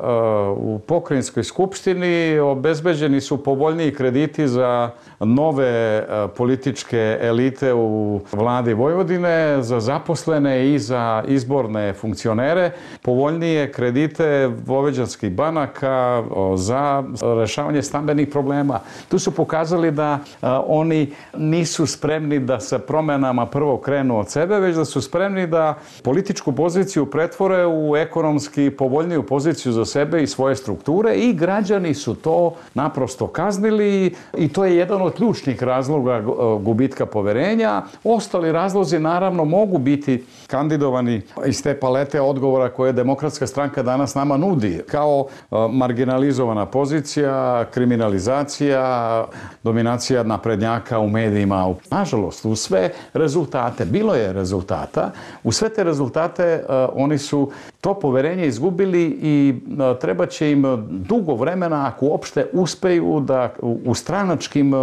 Speaker 13: u pokrajinskoj skupštini obezbeđeni su povoljniji krediti za nove političke elite u vladi Vojvodine, za zaposlene i za izborne funkcionere, povoljnije kredite vojvođanskih banaka za rešavanje stambenih problema. Tu su pokazali da oni nisu spremni da sa promenama prvo krenu od sebe, već da su spremni da političku poziciju pretvore u ekonomski povoljniju poziciju za sebe i svoje strukture, i građani su to naprosto kaznili i to je jedan od ključnih razloga gubitka poverenja. Ostali razlozi naravno mogu biti kandidovani iz te palete odgovora koje Demokratska stranka danas nama nudi, kao marginalizovana pozicija, kriminalizacija, dominacija naprednjaka u medijima. Nažalost, u sve rezultate, bilo je rezultata, u sve te rezultate oni su to poverenje izgubili i treba će im dugo vremena, ako uopšte uspeju da u stranačkim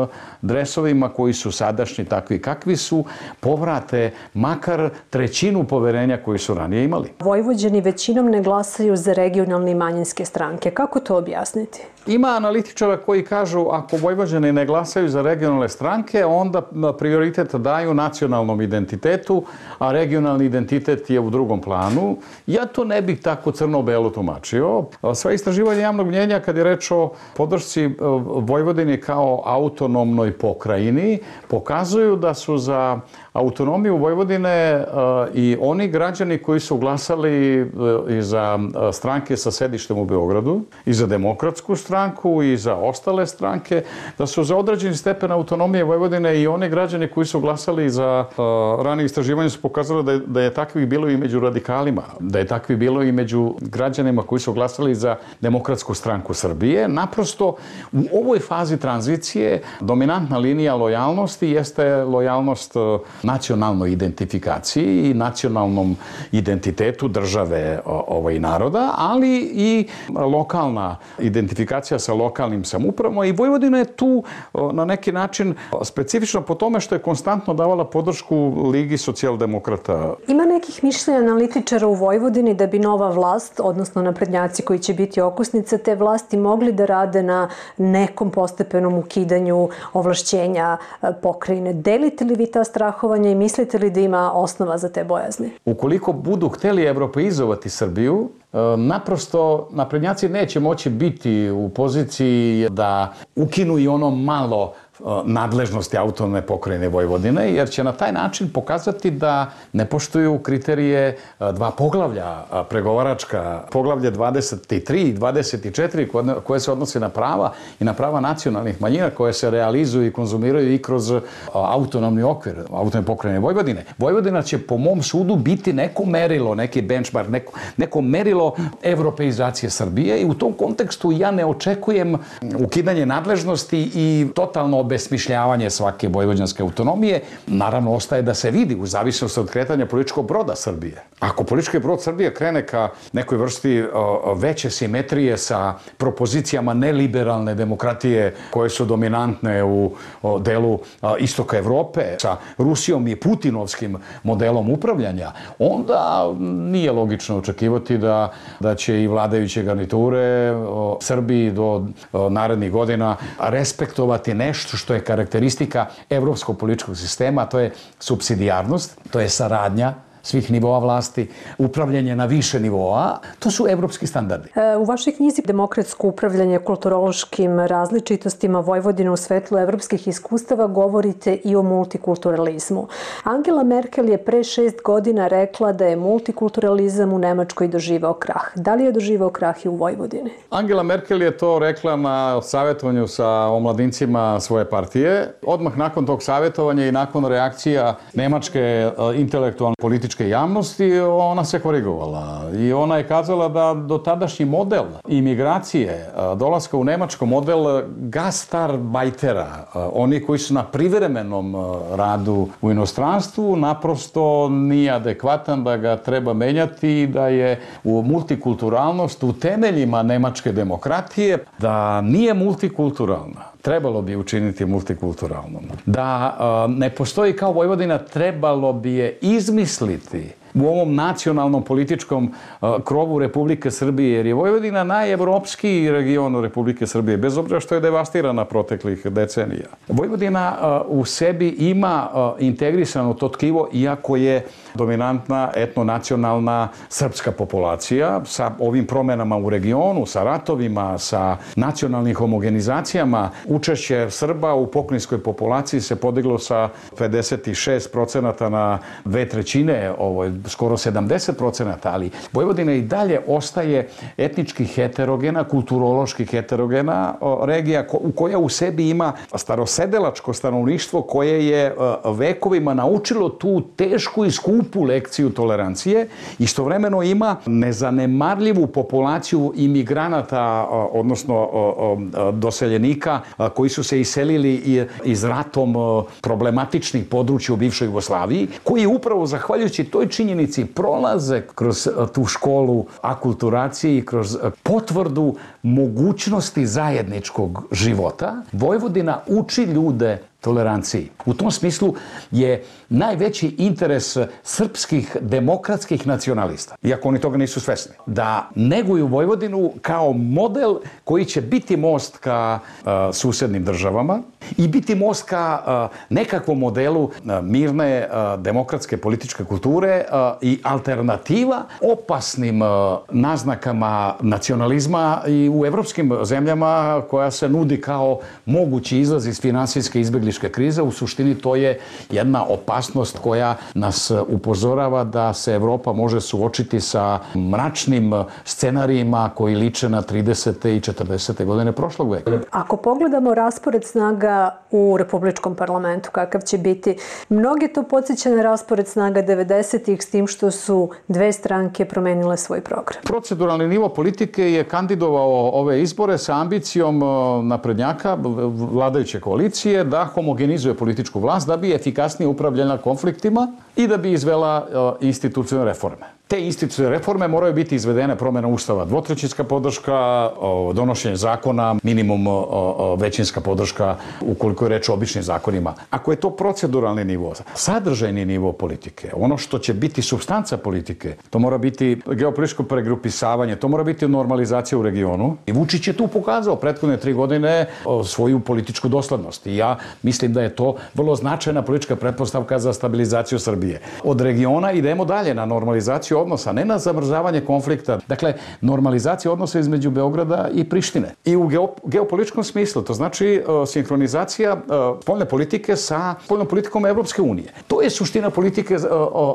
Speaker 13: dresovima koji su sadašnji takvi kakvi su, povrate makar trećinu poverenja koji su ranije imali.
Speaker 12: Vojvođani većinom ne glasaju za regionalne i manjinske stranke. Kako to objasniti?
Speaker 13: Ima analitičara koji kažu ako Vojvođani ne glasaju za regionalne stranke, onda prioritet daju nacionalnom identitetu, a regionalni identitet je u drugom planu. Ja to ne bih tako crno-belo tumačio. Sva istraživanja javnog mnjenja kad je reč o podršci Vojvodini kao autonomnoj pokrajini pokazuju da su za autonomiju Vojvodine i oni građani koji su glasali i za stranke sa sedištem u Beogradu, i za Demokratsku stranku, i za ostale stranke, da su za određeni stepen autonomije Vojvodine i oni građani koji su glasali za ranije istraživanje su pokazali da je, da je takvih bilo i među radikalima, da je takvih bilo i među građanima koji su glasali za Demokratsku stranku Srbije. Naprosto, u ovoj fazi tranzicije dominantna linija lojalnosti jeste lojalnost nacionalnoj identifikaciji i nacionalnom identitetu države ovaj naroda, ali i lokalna identifikacija komunikacija sa lokalnim samoupravama i Vojvodina je tu na neki način specifična po tome što je konstantno davala podršku Ligi socijaldemokrata.
Speaker 12: Ima nekih mišljenja analitičara u Vojvodini da bi nova vlast, odnosno naprednjaci koji će biti okosnica te vlasti, mogli da rade na nekom postepenom ukidanju ovlašćenja pokrajine. Delite li vi ta strahovanja i mislite li da ima osnova za te bojazni?
Speaker 13: Ukoliko budu hteli evropeizovati Srbiju, naprosto naprednjaci neće moći biti u poziciji da ukinu i ono malo nadležnosti autonomne pokrajine Vojvodine, jer će na taj način pokazati da ne poštuju kriterije dva poglavlja pregovaračka, poglavlje dvadeset tri i dvadeset četiri koje se odnose na prava i na prava nacionalnih manjina koje se realizuju i konzumiraju i kroz autonomni okvir autonomne pokrajine Vojvodine. Vojvodina će po mom sudu biti neko merilo, neki benchmark, neko, neko merilo evropeizacije Srbije i u tom kontekstu ja ne očekujem ukidanje nadležnosti i totalno obesmišljavanje svake vojvođanske autonomije. Naravno, ostaje da se vidi u zavisnosti od kretanja političkog broda Srbije. Ako politički brod Srbije krene ka nekoj vrsti veće simetrije sa propozicijama neliberalne demokratije koje su dominantne u delu istoka Evrope, sa Rusijom i putinovskim modelom upravljanja, onda nije logično očekivati da, da će i vladajuće garniture Srbiji do narednih godina respektovati nešto što je karakteristika evropskog političkog sistema, a to je supsidijarnost, to je saradnja svih nivoa vlasti, upravljanje na više nivoa, to su evropski standardi.
Speaker 12: U vašoj knjizi Demokratsko upravljanje kulturološkim različitostima Vojvodine u svetlu evropskih iskustava govorite i o multikulturalizmu. Angela Merkel je pre šest godina rekla da je multikulturalizam u Nemačkoj doživao krah. Da li je doživao krah i u Vojvodini?
Speaker 13: Angela Merkel je to rekla na savjetovanju sa omladincima svoje partije. Odmah nakon tog savjetovanja i nakon reakcija nemačke intelektualne političke javnosti, ona se korigovala i ona je kazala da dotadašnji model imigracije, dolaska u Nemačko, model gastarbeitera, oni koji su na privremenom radu u inostranstvu, naprosto nije adekvatan, da ga treba menjati i da je u multikulturalnost u temeljima nemačke demokratije, da nije multikulturalna. Trebalo bi učiniti multikulturalnom. Da ne postoji kao Vojvodina, trebalo bi je izmisliti u ovom nacionalnom političkom krovu Republike Srbije, jer je Vojvodina najevropskiji region Republike Srbije, bez obzira što je devastirana proteklih decenija. Vojvodina u sebi ima integrisano to tkivo, iako je dominantna etnonacionalna srpska populacija sa ovim promenama u regionu, sa ratovima, sa nacionalnim homogenizacijama. Učešće Srba u pokrajinskoj populaciji se podiglo sa pedeset šest procenata na dve trećine, ovo je skoro sedamdeset procenata, ali Vojvodina i dalje ostaje etnički heterogena, kulturološki heterogena regija koja u sebi ima starosedelačko stanovništvo koje je vekovima naučilo tu tešku i skupu lekciju tolerancije. Istovremeno ima nezanemarljivu populaciju imigranata, odnosno doseljenika koji su se iselili iz ratom problematičnih područja u bivšoj Jugoslaviji, koji upravo zahvaljujući toj činjenici prolaze kroz tu školu akulturacije i kroz potvrdu mogućnosti zajedničkog života. Vojvodina uči ljude toleranciji. U tom smislu je najveći interes srpskih demokratskih nacionalista, iako oni toga nisu svesni, da neguju Vojvodinu kao model koji će biti most ka uh, susednim državama i biti most ka uh, nekakvom modelu uh, mirne uh, demokratske političke kulture uh, i alternativa opasnim uh, naznakama nacionalizma i u evropskim zemljama koja se nudi kao mogući izlaz iz finansijske izbjegličke krize. U suštini to je jedna opasnost koja nas upozorava da se Evropa može suočiti sa mračnim scenarijima koji liče na tridesete i četrdesete godine prošlog veka.
Speaker 12: Ako pogledamo raspored snaga u Republičkom parlamentu, kakav će biti, mnoge to podsjeća na raspored snaga devedesetih, s tim što su dve stranke promenile svoj program.
Speaker 13: Proceduralni nivo politike je kandidovao ove izbore sa ambicijom naprednjaka, vladajuće koalicije, da homogenizuje političku vlast da bi efikasnije upravljala konfliktima i da bi izvela institucionalne reforme. Te institucionalne reforme moraju biti izvedene promjena ustava, dvotrećinska podrška, donošenje zakona, minimum većinska podrška ukoliko je reč o običnim zakonima. Ako je to proceduralni nivo, sadržajni nivo politike, ono što će biti supstanca politike, to mora biti geopolitičko pregrupisavanje, to mora biti normalizacija u regionu. I Vučić je tu pokazao prethodne tri godine svoju političku doslednost. I ja mislim da je to vrlo značajna politička pretpostavka za stabilizaciju Srbije. Od regiona idemo dalje na normalizaciju odnosa, ne na zamrzavanje konflikta. Dakle, normalizacija odnosa između Beograda i Prištine. I u geopolitičkom smislu, to znači uh, sinhronizacija uh, spoljne politike sa spoljnom politikom Evropske unije. To je suština politike uh,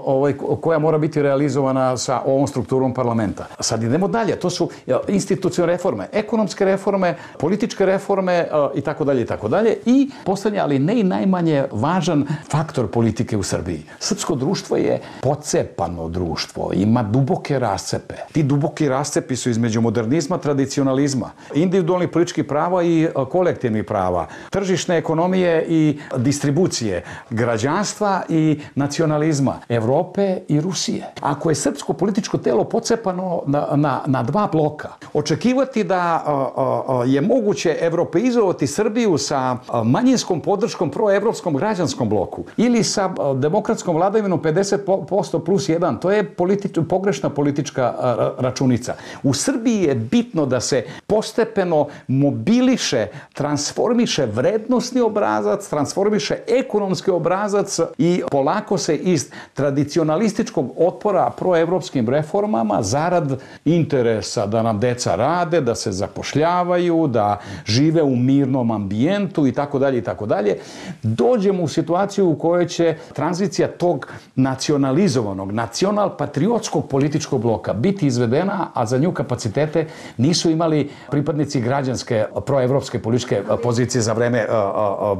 Speaker 13: ovaj, koja mora biti realizovana sa ovom strukturom parlamenta. Sad idemo dalje. To su uh, institucionalne reforme, ekonomske reforme, političke reforme uh, i tako dalje i tako dalje. I poslednje, ali ne i najmanje važan faktor politike u Srbiji. Srpsko društvo je pocepano društvo. Ima duboke rascepe. Ti duboki rascepi su između modernizma, tradicionalizma, individualnih političkih prava i kolektivnih prava, tržišne ekonomije i distribucije, građanstva i nacionalizma, Evrope i Rusije. Ako je srpsko političko telo pocepano na, na, na dva bloka, očekivati da a, a, je moguće evropeizovati Srbiju sa manjinskom podrškom proevropskom građanskom bloku ili sa demokratskom vladavinom pedeset posto plus jedan, to je politi- pogrešna politička računica. U Srbiji je bitno da se postepeno mobiliše, transformiše vrednosni obrazac, transformiše ekonomski obrazac i polako se iz tradicionalističkog otpora proevropskim reformama zarad interesa da nam deca rade, da se zapošljavaju, da žive u mirnom ambijentu i tako dalje i tako dalje, dođemo u situaciju u kojoj će tranzicija tog nacionalizovanog, nacional-patriotskog političkog bloka biti izvedena, a za nju kapacitete nisu imali pripadnici građanske proevropske političke pozicije za vreme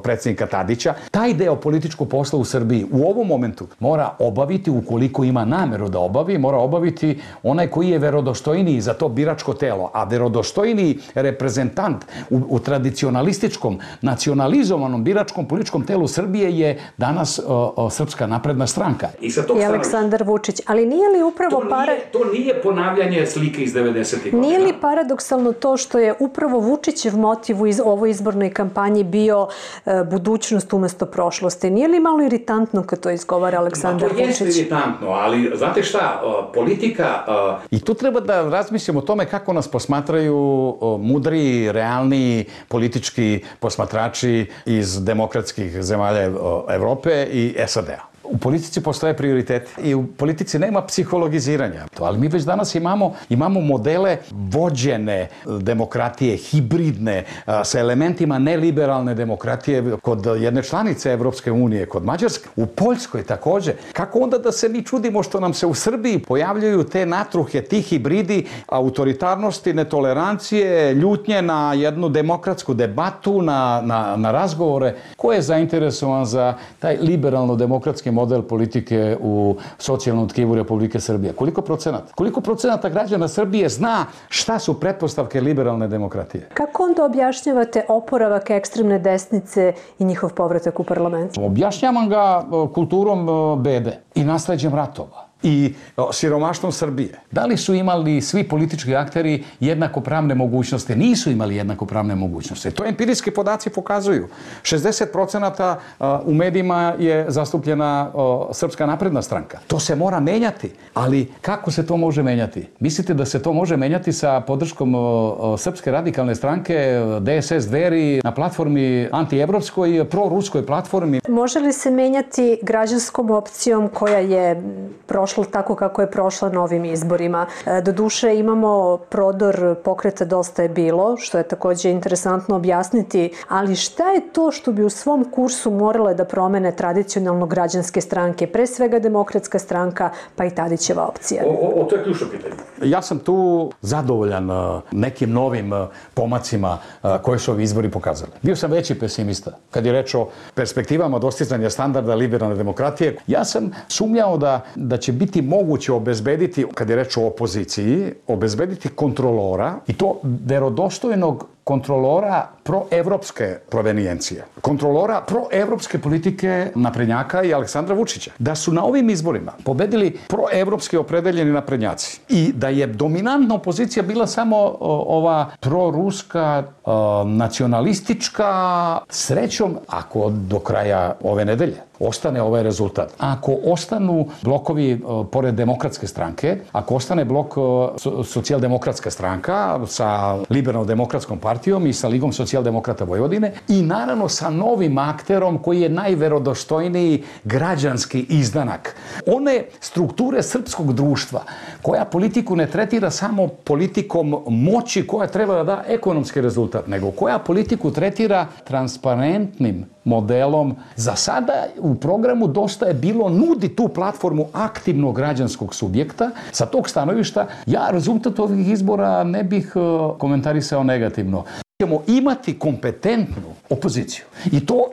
Speaker 13: predsjednika Tadića. Taj deo političkog posla u Srbiji u ovom momentu mora obaviti, ukoliko ima nameru da obavi, mora obaviti onaj koji je verodostojniji za to biračko telo, a verodostojniji reprezentant u, u tradicionalističkom, nacionalizovanom biračkom političkom telu Srbije je danas o, o, Srpska napredna stranka.
Speaker 12: I, I Aleksandar Vučić. Ali nije li upravo...
Speaker 13: To nije, to nije ponavljanje slike iz devedesetih godina.
Speaker 12: Nije li paradoksalno to što je upravo Vučićev motiv u iz, ovoj izbornoj kampanji bio e, budućnost umesto prošlosti? Nije li malo iritantno kad to izgovara Aleksandar Vučić?
Speaker 13: To jeste iritantno, ali znate šta, politika... I tu treba da razmislimo o tome kako nas posmatraju mudri, realni politički posmatrači iz demokratskih zemalja Evrope i S A D-a. U politici postoje prioriteti i u politici nema psihologiziranja. Ali mi već danas imamo, imamo modele vođene demokratije, hibridne, sa elementima neliberalne demokratije kod jedne članice Evropske unije, kod Mađarske, u Poljskoj također. Kako onda da se mi čudimo što nam se u Srbiji pojavljaju te natruhe, ti hibridi autoritarnosti, netolerancije, ljutnje na jednu demokratsku debatu, na, na, na razgovore? Ko je zainteresovan za taj liberalno-demokratski model politike u socijalnom tkivu Republike Srbije? Koliko procenata? Koliko procenata građana Srbije zna šta su pretpostavke liberalne demokratije?
Speaker 12: Kako onda objašnjavate oporavak ekstremne desnice i njihov povratak u parlament?
Speaker 13: Objašnjavam ga kulturom bede i nasleđem ratova i siromaštvom Srbije. Da li su imali svi politički akteri jednakopravne mogućnosti? Nisu imali jednakopravne mogućnosti. To empirijski podaci pokazuju. šezdeset procenata u medijima je zastupljena Srpska napredna stranka. To se mora menjati. Ali kako se to može menjati? Mislite da se to može menjati sa podrškom Srpske radikalne stranke, D S S Dveri, na platformi antievropskoj, proruskoj platformi?
Speaker 12: Može li se menjati građanskom opcijom koja je prošla tako kako je prošla na ovim izborima? Doduše imamo prodor pokreta Dosta je bilo, što je također interesantno objasniti, ali šta je to što bi u svom kursu morale da promene tradicionalno građanske stranke, pre svega Demokratska stranka, pa i Tadićeva opcija?
Speaker 13: O, o, o to je ključno pitanje. Ja sam tu zadovoljan nekim novim pomacima koje su ovi izbori pokazali. Bio sam veći pesimista kad je reč o perspektivama dostizanja standarda liberalne demokratije. Ja sam sumnjao da, da će biti moguće obezbediti, kad je reč o opoziciji, obezbediti kontrolora i to verodostojnog
Speaker 10: kontrolora proevropske provenijencije, kontrolora proevropske politike naprednjaka i Aleksandra Vučića. Da su na ovim izborima pobedili proevropski opredeljeni naprednjaci i da je dominantna opozicija bila samo ova proruska, nacionalistička, srećom, ako do kraja ove nedelje ostane ovaj rezultat. Ako ostanu blokovi pored demokratske stranke, ako ostane blok socijaldemokratska stranka sa liberalno-demokratskom partijom i sa Ligom socijaldemokrata Vojvodine i naravno sa novim akterom koji je najverodostojniji građanski izdanak. One strukture srpskog društva koja politiku ne tretira samo politikom moći koja treba da da ekonomski rezultat, nego koja politiku tretira transparentnim modelom. Za sada u programu Dosta je bilo nudi tu platformu aktivnog građanskog subjekta. Sa tog stanovišta ja rezultat ovih izbora ne bih komentarisao negativno. Ćemo imati kompetentnu opoziciju. I to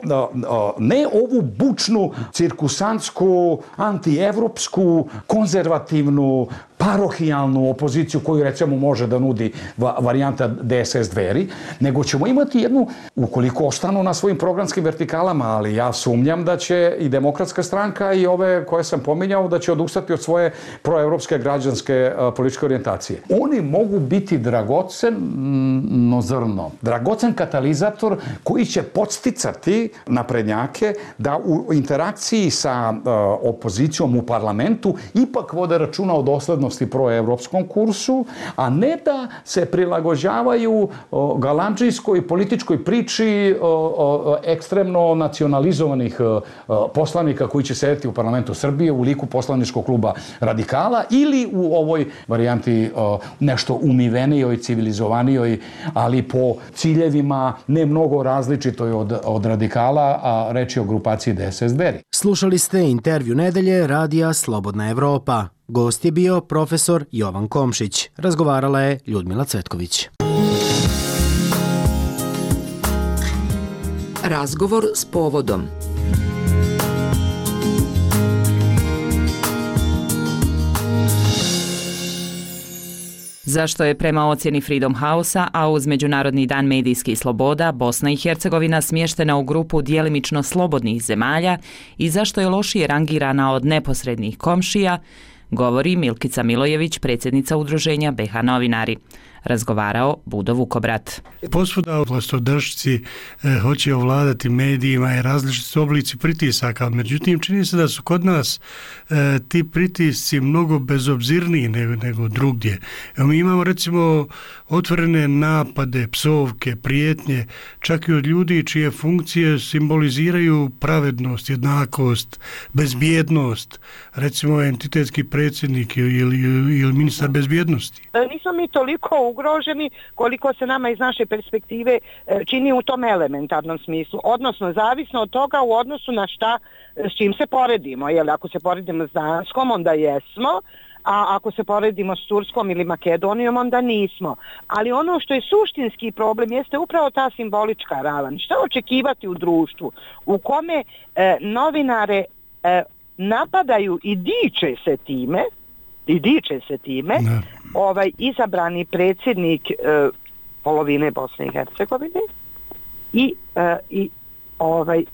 Speaker 10: ne ovu bučnu, cirkusantsku, antievropsku, konzervativnu, parohijalnu opoziciju koju recimo može da nudi varijanta D S S Dveri, nego ćemo imati jednu, ukoliko ostanu na svojim programskim vertikalama, ali ja sumnjam da će i Demokratska stranka i ove koje sam pominjao da će odustati od svoje proevropske građanske političke orijentacije. Oni mogu biti dragoceno zrno, dragocen katalizator koji će podsticati naprednjake da u interakciji sa opozicijom u parlamentu ipak vode računa o doslednosti proevropskom kursu, a ne da se prilagođavaju galandžijskoj političkoj priči ekstremno nacionalizovanih poslanika koji će sedeti u parlamentu Srbije u liku poslaničkog kluba Radikala ili u ovoj varijanti nešto umivenijoj, civilizovanijoj, ali po ciljevima ne mnogo različitoj od, od Radikala, a reč je o grupaciji D S S Dveri.
Speaker 8: Slušali ste intervju nedelje radija Slobodna Evropa. Gost je bio profesor Jovan Komšić. Razgovarala je Ljudmila Cvetković.
Speaker 14: Razgovor s povodom. Zašto je prema ocjeni Freedom House-a, a uz Međunarodni dan medijskih sloboda, Bosna i Hercegovina smještena u grupu djelimično slobodnih zemalja i zašto je lošije rangirana od neposrednih komšija, govori Milkica Milojević, predsjednica udruženja B H Novinari. Razgovarao Budo Vukobrat.
Speaker 15: Posvuda vlastodržci e, hoće ovladati medijima i različiti oblici pritisaka, međutim čini se da su kod nas e, ti pritisci mnogo bezobzirniji nego, nego drugdje. Evo, mi imamo recimo otvorene napade, psovke, prijetnje, čak i od ljudi čije funkcije simboliziraju pravednost, jednakost, bezbjednost, recimo entitetski predsjednik ili, ili, ili ministar bezbjednosti.
Speaker 16: Nismo mi toliko ugroženi koliko se nama iz naše perspektive čini u tom elementarnom smislu, odnosno zavisno od toga u odnosu na šta s čim se poredimo. Jer ako se poredimo s Danskom, onda jesmo, a ako se poredimo s Turskom ili Makedonijom, onda nismo. Ali ono što je suštinski problem jeste upravo ta simbolička ravan. Šta očekivati u društvu u kome e, novinare e, napadaju i diče se time, i diče se time, ne. ovaj izabrani predsjednik e, polovine Bosne i Hercegovine i, e, i ovaj e,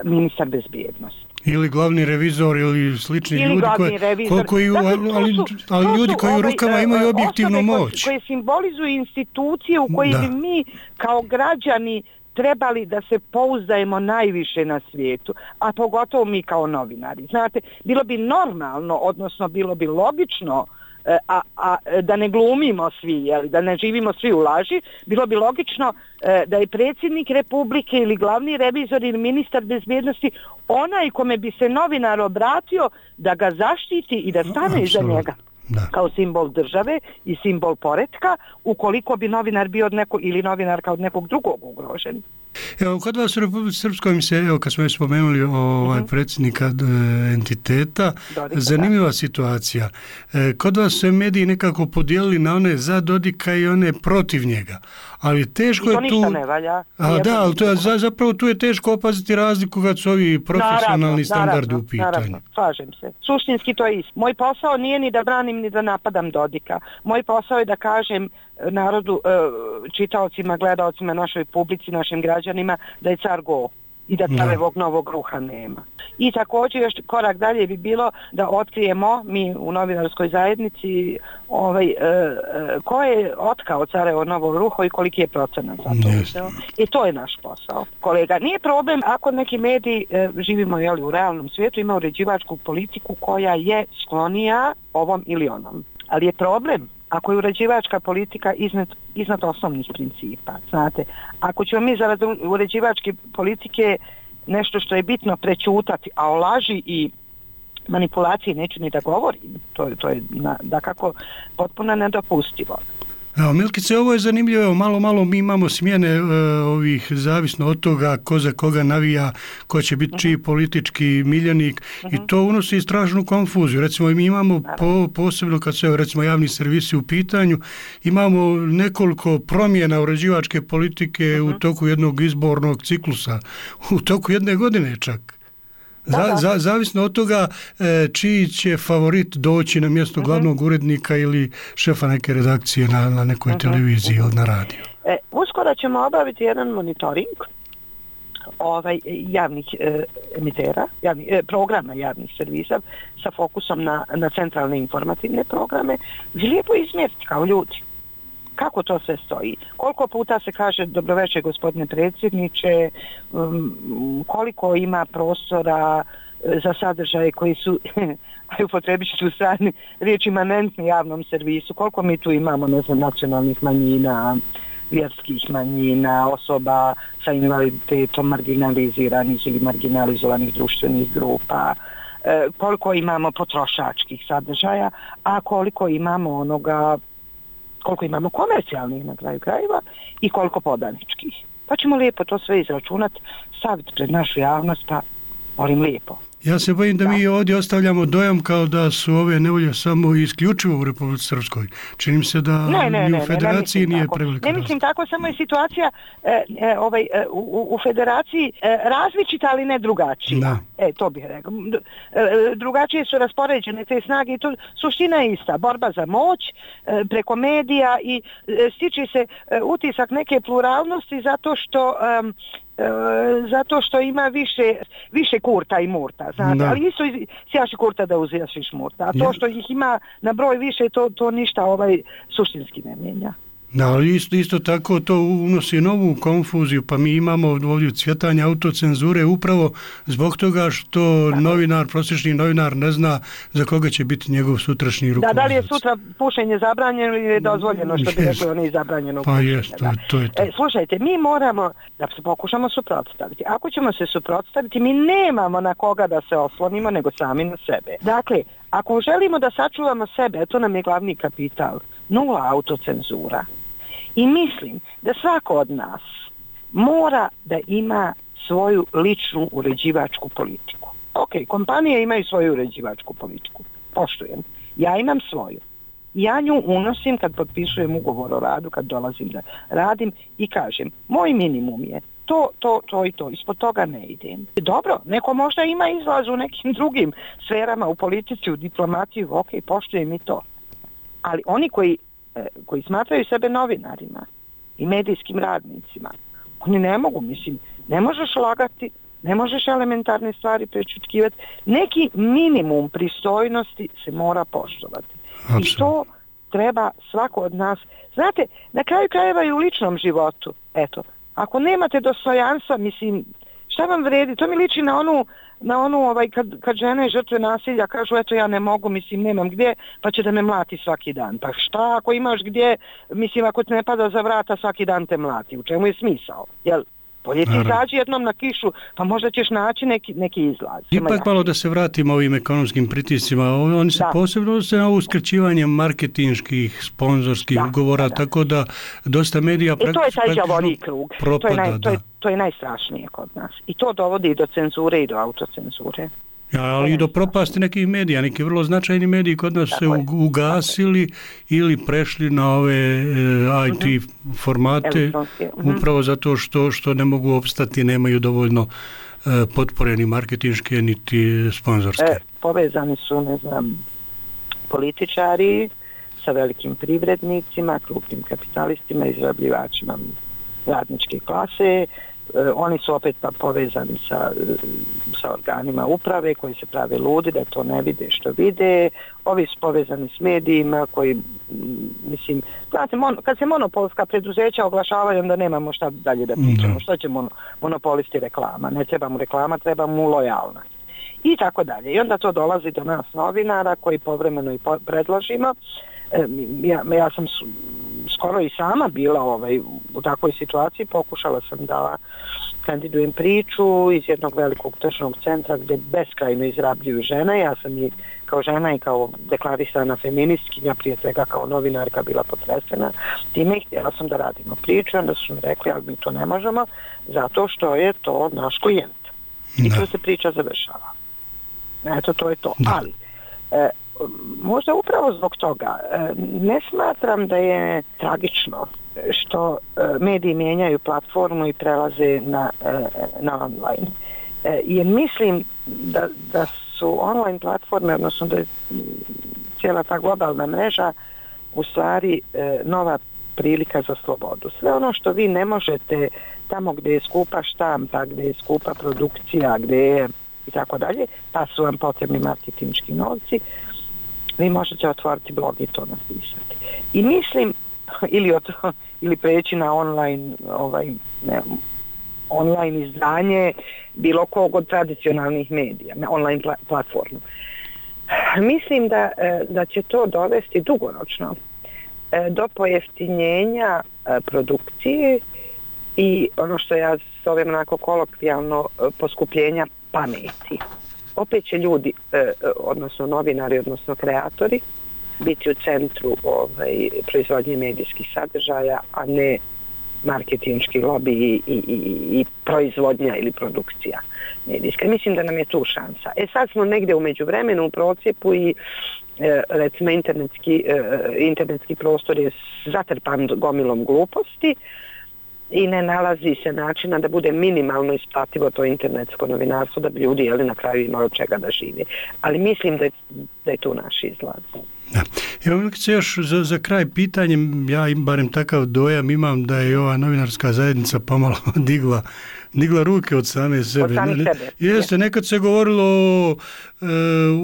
Speaker 16: ministar bezbjednosti.
Speaker 15: Ili glavni revizor ili slični
Speaker 16: ili
Speaker 15: ljudi koji,
Speaker 16: revizor.
Speaker 15: koji,
Speaker 16: dakle,
Speaker 15: ali,
Speaker 16: su,
Speaker 15: ali ljudi koji u rukama ovaj, imaju objektivnu moć.
Speaker 16: Koje, koje simbolizuju institucije u koje bi mi kao građani trebali da se pouzdajemo najviše na svijetu, a pogotovo mi kao novinari. Znate, bilo bi normalno, odnosno bilo bi logično, a, a da ne glumimo svi, jeli, da ne živimo svi u laži, bilo bi logično da je predsjednik Republike ili glavni revizor ili ministar bezbjednosti onaj kome bi se novinar obratio da ga zaštiti i da stane iza njega. Da. Kao simbol države i simbol poretka, ukoliko bi novinar bio od neko, ili novinarka od nekog drugog ugrožen.
Speaker 15: Evo, kod vas u Republici Srpskoj mi se, evo, kad smo već spomenuli ovaj uh-huh. predsjednika e, entiteta, Dodika, zanimljiva da. situacija. E, kod vas su mediji nekako podijelili na one za Dodika i one protiv njega. Ali teško je tu... I to ništa ne valja. A, da, ali to je, zapravo tu je teško opaziti razliku kad su ovi profesionalni naravno, standardi naravno, u pitanju.
Speaker 16: Naravno, slažem se. Suštinski to je isto. Moj posao nije ni da branim ni da napadam Dodika. Moj posao je da kažem narodu, čitaocima, gledaocima, našoj publici, našim građanima da je car go i da carevog novog ruha nema. I također još korak dalje bi bilo da otkrijemo mi u novinarskoj zajednici ovaj, e, ko je otkao carevo novo ruho i koliki je procenat za to uzeo. I to je naš posao. Kolega, nije problem ako neki mediji, e, živimo jeli, u realnom svijetu, ima uređivačku politiku koja je sklonija ovom ili onom. Ali je problem ako je uređivačka politika iznad, iznad osnovnih principa. Znate, ako ćemo mi zarad uređivačke politike nešto što je bitno prečutati, a o laži i manipulaciji neću ni da govorim, to, to je na, dakako potpuno nedopustivo.
Speaker 15: Evo, Milkice, ovo je zanimljivo, evo, malo, malo mi imamo smjene e, ovih, zavisno od toga ko za koga navija, ko će biti uh-huh. čiji politički miljenik uh-huh. i to unosi strašnu konfuziju. Recimo, mi imamo po, posebno kad su recimo javni servisi u pitanju, imamo nekoliko promjena uređivačke politike uh-huh. u toku jednog izbornog ciklusa, u toku jedne godine čak. Za, za, zavisno od toga e, čiji će favorit doći na mjesto uh-huh. glavnog urednika ili šefa neke redakcije na, na nekoj uh-huh. televiziji ili na radiju.
Speaker 16: E, uskoro ćemo obaviti jedan monitoring ovaj, javnih e, emitera, javni, e, programa javnih servisa sa fokusom na, na centralne informativne programe, gdje lijepo izmjeriti kao ljudi. Kako to sve stoji? Koliko puta se kaže dobroveče gospodine predsjedniče, um, koliko ima prostora za sadržaje koji su, a upotrebit ću strani riječ imanentni javnom servisu, koliko mi tu imamo, ne znam, nacionalnih manjina, vjerskih manjina, osoba sa invaliditetom, marginaliziranih ili marginalizovanih društvenih grupa, e, koliko imamo potrošačkih sadržaja, a koliko imamo onoga koliko imamo komercijalnih na kraju krajeva i koliko podaničkih. Pa ćemo lijepo to sve izračunati, staviti pred našu javnost, pa molim lijepo.
Speaker 15: Ja se bojim da, da mi ovdje ostavljamo dojam kao da su ove nevolje samo isključivo u Republici Srpskoj. Čini mi se da
Speaker 16: ne, ne,
Speaker 15: ni u federaciji
Speaker 16: ne, ne,
Speaker 15: nije
Speaker 16: tako.
Speaker 15: prevelika.
Speaker 16: Ne mislim tako, samo je situacija e, e, ovaj, e, u, u federaciji e, različita, ali ne drugačija. Da. E, to bih rekao. E, drugačije su raspoređene te snage i to suština je ista. Borba za moć e, preko medija i e, stiče se e, utisak neke pluralnosti zato što e, E, zato što ima više više kurta i murta, znate, ali isto sjaši kurta da uzjašiš murta, a to ja. što ih ima na broj više, to, to ništa ovaj suštinski ne mijenja.
Speaker 15: Da, ali isto, isto tako to unosi novu konfuziju, pa mi imamo ovdje cvjetanje autocenzure upravo zbog toga što tako. novinar, prosječni novinar ne zna za koga će biti njegov sutrašnji rukovodac.
Speaker 16: Da, da li je sutra pušenje zabranjeno ili je dozvoljeno, što bi rekli oni zabranjeno.
Speaker 15: Pa jest, to, to je to.
Speaker 16: E, slušajte, mi moramo da se pokušamo suprotstaviti. Ako ćemo se suprotstaviti, mi nemamo na koga da se oslonimo, nego sami na sebe. Dakle, ako želimo da sačuvamo sebe, to nam je glavni kapital, nula autocenzura. I mislim da svako od nas mora da ima svoju ličnu uređivačku politiku. Ok, kompanije imaju svoju uređivačku politiku. Poštujem. Ja imam svoju. Ja nju unosim kad potpisujem ugovor o radu, kad dolazim da radim i kažem, moj minimum je to, to, to i to. Ispod toga ne idem. Dobro, neko možda ima izlaz u nekim drugim sferama, u politici, u diplomaciji, ok, poštujem i to. Ali oni koji koji smatraju sebe novinarima i medijskim radnicima, oni ne mogu, mislim, ne možeš lagati, ne možeš elementarne stvari prečutkivati, neki minimum pristojnosti se mora poštovati. Absolutno. I to treba svako od nas. Znate, na kraju krajeva i u ličnom životu, eto, ako nemate dostojanstva, mislim, šta vam vredi? To mi liči na onu, na onu ovaj, kad, kad žene žrtve nasilja kažu, eto ja ne mogu, mislim, nemam gdje, pa će da me mlati svaki dan. Pa šta ako imaš gdje, mislim, ako te ne pada za vrata, svaki dan te mlati. U čemu je smisao? Jel? Bolje ti izađi jednom na kišu, pa možda ćeš naći neki, neki izlaz.
Speaker 15: Ipak malo da se vratimo ovim ekonomskim pritiscima. Oni se da. posebno se na uskraćivanje marketinških, sponzorskih da, ugovora, da. tako da dosta medija
Speaker 16: praktično propada. I to je taj đavolji krug.
Speaker 15: Propada,
Speaker 16: to, je naj, to, je, to je najstrašnije kod nas. I to dovodi do cenzure i do autocenzure.
Speaker 15: Ja, ali i do propasti nekih medija. Neki vrlo značajni mediji kod nas se ugasili ili prešli na ove e, I T uh-huh. formate uh-huh. upravo zato što, što ne mogu opstati, nemaju dovoljno e, potpore ni marketinške niti sponzorske. E,
Speaker 16: povezani su, ne znam, političari sa velikim privrednicima, krupnim kapitalistima, izrabljivačima radničke klase. Oni su opet pa povezani sa, sa organima uprave koji se prave ludi da to ne vide što vide. Ovi su povezani s medijima koji, mislim, znate, mon, kad se monopolska preduzeća oglašavaju, onda nemamo šta dalje da pričamo. Što će mon, monopolisti reklama? Ne treba mu reklama, treba mu lojalnost. I tako dalje. I onda to dolazi do nas novinara koji povremeno i po, predložimo. E, ja, ja sam skoro i sama bila ovaj, u takvoj situaciji, pokušala sam da kandidujem priču iz jednog velikog tržnog centra gdje beskrajno izrabljuju žene. Ja sam i kao žena i kao deklarisana feministkinja, prije svega kao novinarka, bila potresena time i htjela sam da radimo priču, onda su mi rekli, ali mi to ne možemo zato što je to naš klijent. I tu se priča završava. Eto, to je to. Da. Ali e, možda upravo zbog toga ne smatram da je tragično što mediji mijenjaju platformu i prelaze na, na online. Jer mislim da, da su online platforme, odnosno da je cijela ta globalna mreža u stvari nova prilika za slobodu. Sve ono što vi ne možete tamo gdje je skupa štampa, gdje je skupa produkcija, gdje je i tako dalje, pa su vam potrebni marketinški novci, vi možete otvoriti blog i to napisati. I mislim, ili, od, ili preći na online, ovaj, ne, online izdanje bilo kog od tradicionalnih medija, na online pla, platformu. Mislim da, da će to dovesti dugoročno do pojeftinjenja produkcije i ono što ja zovem onako kolokvijalno poskupljenja pameti. Opet će ljudi, eh, odnosno novinari, odnosno kreatori, biti u centru ovaj, proizvodnje medijskih sadržaja, a ne marketinški lobby i, i, i, i proizvodnja ili produkcija medijska. Mislim da nam je tu šansa. E sad smo negdje u međuvremenu u procijepu i eh, recimo internetski, eh, internetski prostor je zatrpan gomilom gluposti i ne nalazi se načina da bude minimalno isplativo to internetsko novinarstvo, da bi ljudi jeli, na kraju imali od čega da žive. Ali mislim da je, da je tu naš izlaz.
Speaker 15: Da. Evo se još za, za kraj pitanje, ja im barem takav dojam imam da je ova novinarska zajednica pomalo digla, digla ruke od same sebe. Od same sebe. Jeste, nekad se govorilo o, e,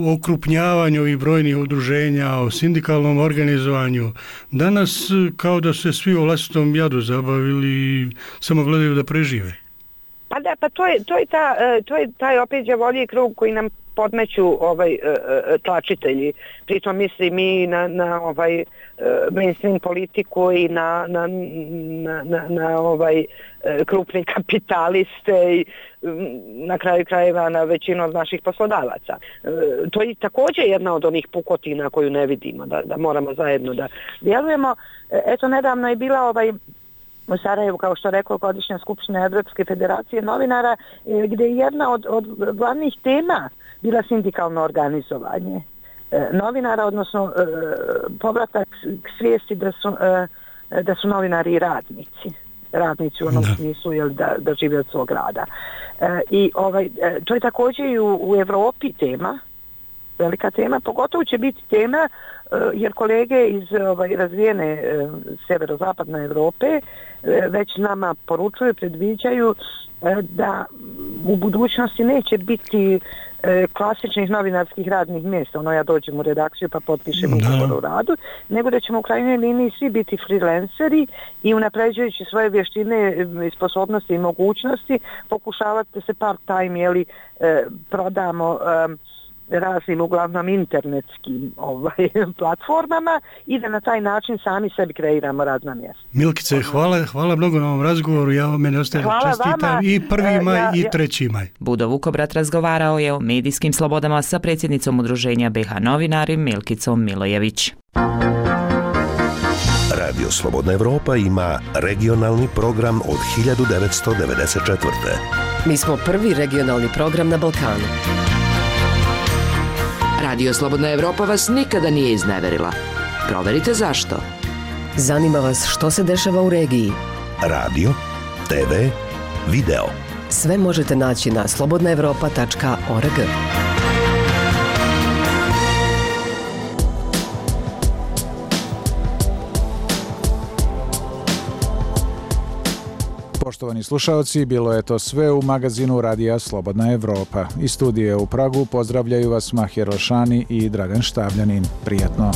Speaker 15: o okrupnjavanju ovih brojnih udruženja, o sindikalnom organizovanju. Danas kao da se svi o vlastitom jadu zabavili i samo gledaju da prežive.
Speaker 16: Pa da, pa to je, to je, ta, to je taj opet đavolji krug koji nam podmeću ovaj tlačitelji. Pritom mislim i na, na ovaj mainstream politiku i na, na, na, na, na ovaj krupne kapitaliste i na kraju krajeva na većinu od naših poslodavaca. To je također jedna od onih pukotina koju ne vidimo, da, da moramo zajedno da djelujemo. Eto, nedavno je bila ovaj u Sarajevu, kao što rekao, godišnja skupština Evropske federacije novinara, gdje je jedna od, od glavnih tema bila sindikalno organizovanje e, novinara, odnosno e, povratak k svijesti da su, e, da su novinari i radnici. Radnici u onom da. smislu jel, da, da žive od svog rada. E, I ovaj, e, to je također i u, u Evropi tema, velika tema, pogotovo će biti tema jer kolege iz ovaj, razvijene e, severozapadne Europe e, već nama poručuju, predviđaju e, da u budućnosti neće biti e, klasičnih novinarskih radnih mjesta, ono ja dođem u redakciju pa potpišem ugovor o radu, nego da ćemo u krajnjoj liniji svi biti freelanceri i unapređujući svoje vještine i sposobnosti i mogućnosti pokušavati da se part-time jeli, e, prodamo e, raznim uglavnom internetskim ovaj, platformama i da na taj način sami sebi kreiramo radna mjesta.
Speaker 15: Milkice, hvala, hvala mnogo na ovom razgovoru, ja mene ostaje čestitam i prvi maj ja, i treći maj.
Speaker 14: Budo Vukobrat razgovarao je o medijskim slobodama sa predsjednicom udruženja B H Novinari Milkicom Milojević.
Speaker 5: Radio Slobodna Evropa ima regionalni program od hiljadu devetsto devedeset četvrte.
Speaker 17: Mi smo prvi regionalni program na Balkanu. Radio Slobodna Evropa vas nikada nije izneverila. Proverite zašto. Zanima vas što se dešava u regiji.
Speaker 5: Radio, te ve, video.
Speaker 17: Sve možete naći na slobodna evropa tačka org.
Speaker 1: Poštovani slušalci, bilo je to sve u magazinu Radija Slobodna Evropa. Iz studije u Pragu pozdravljaju vas Mahir Rošani i Dragan Štavljanin. Prijatno.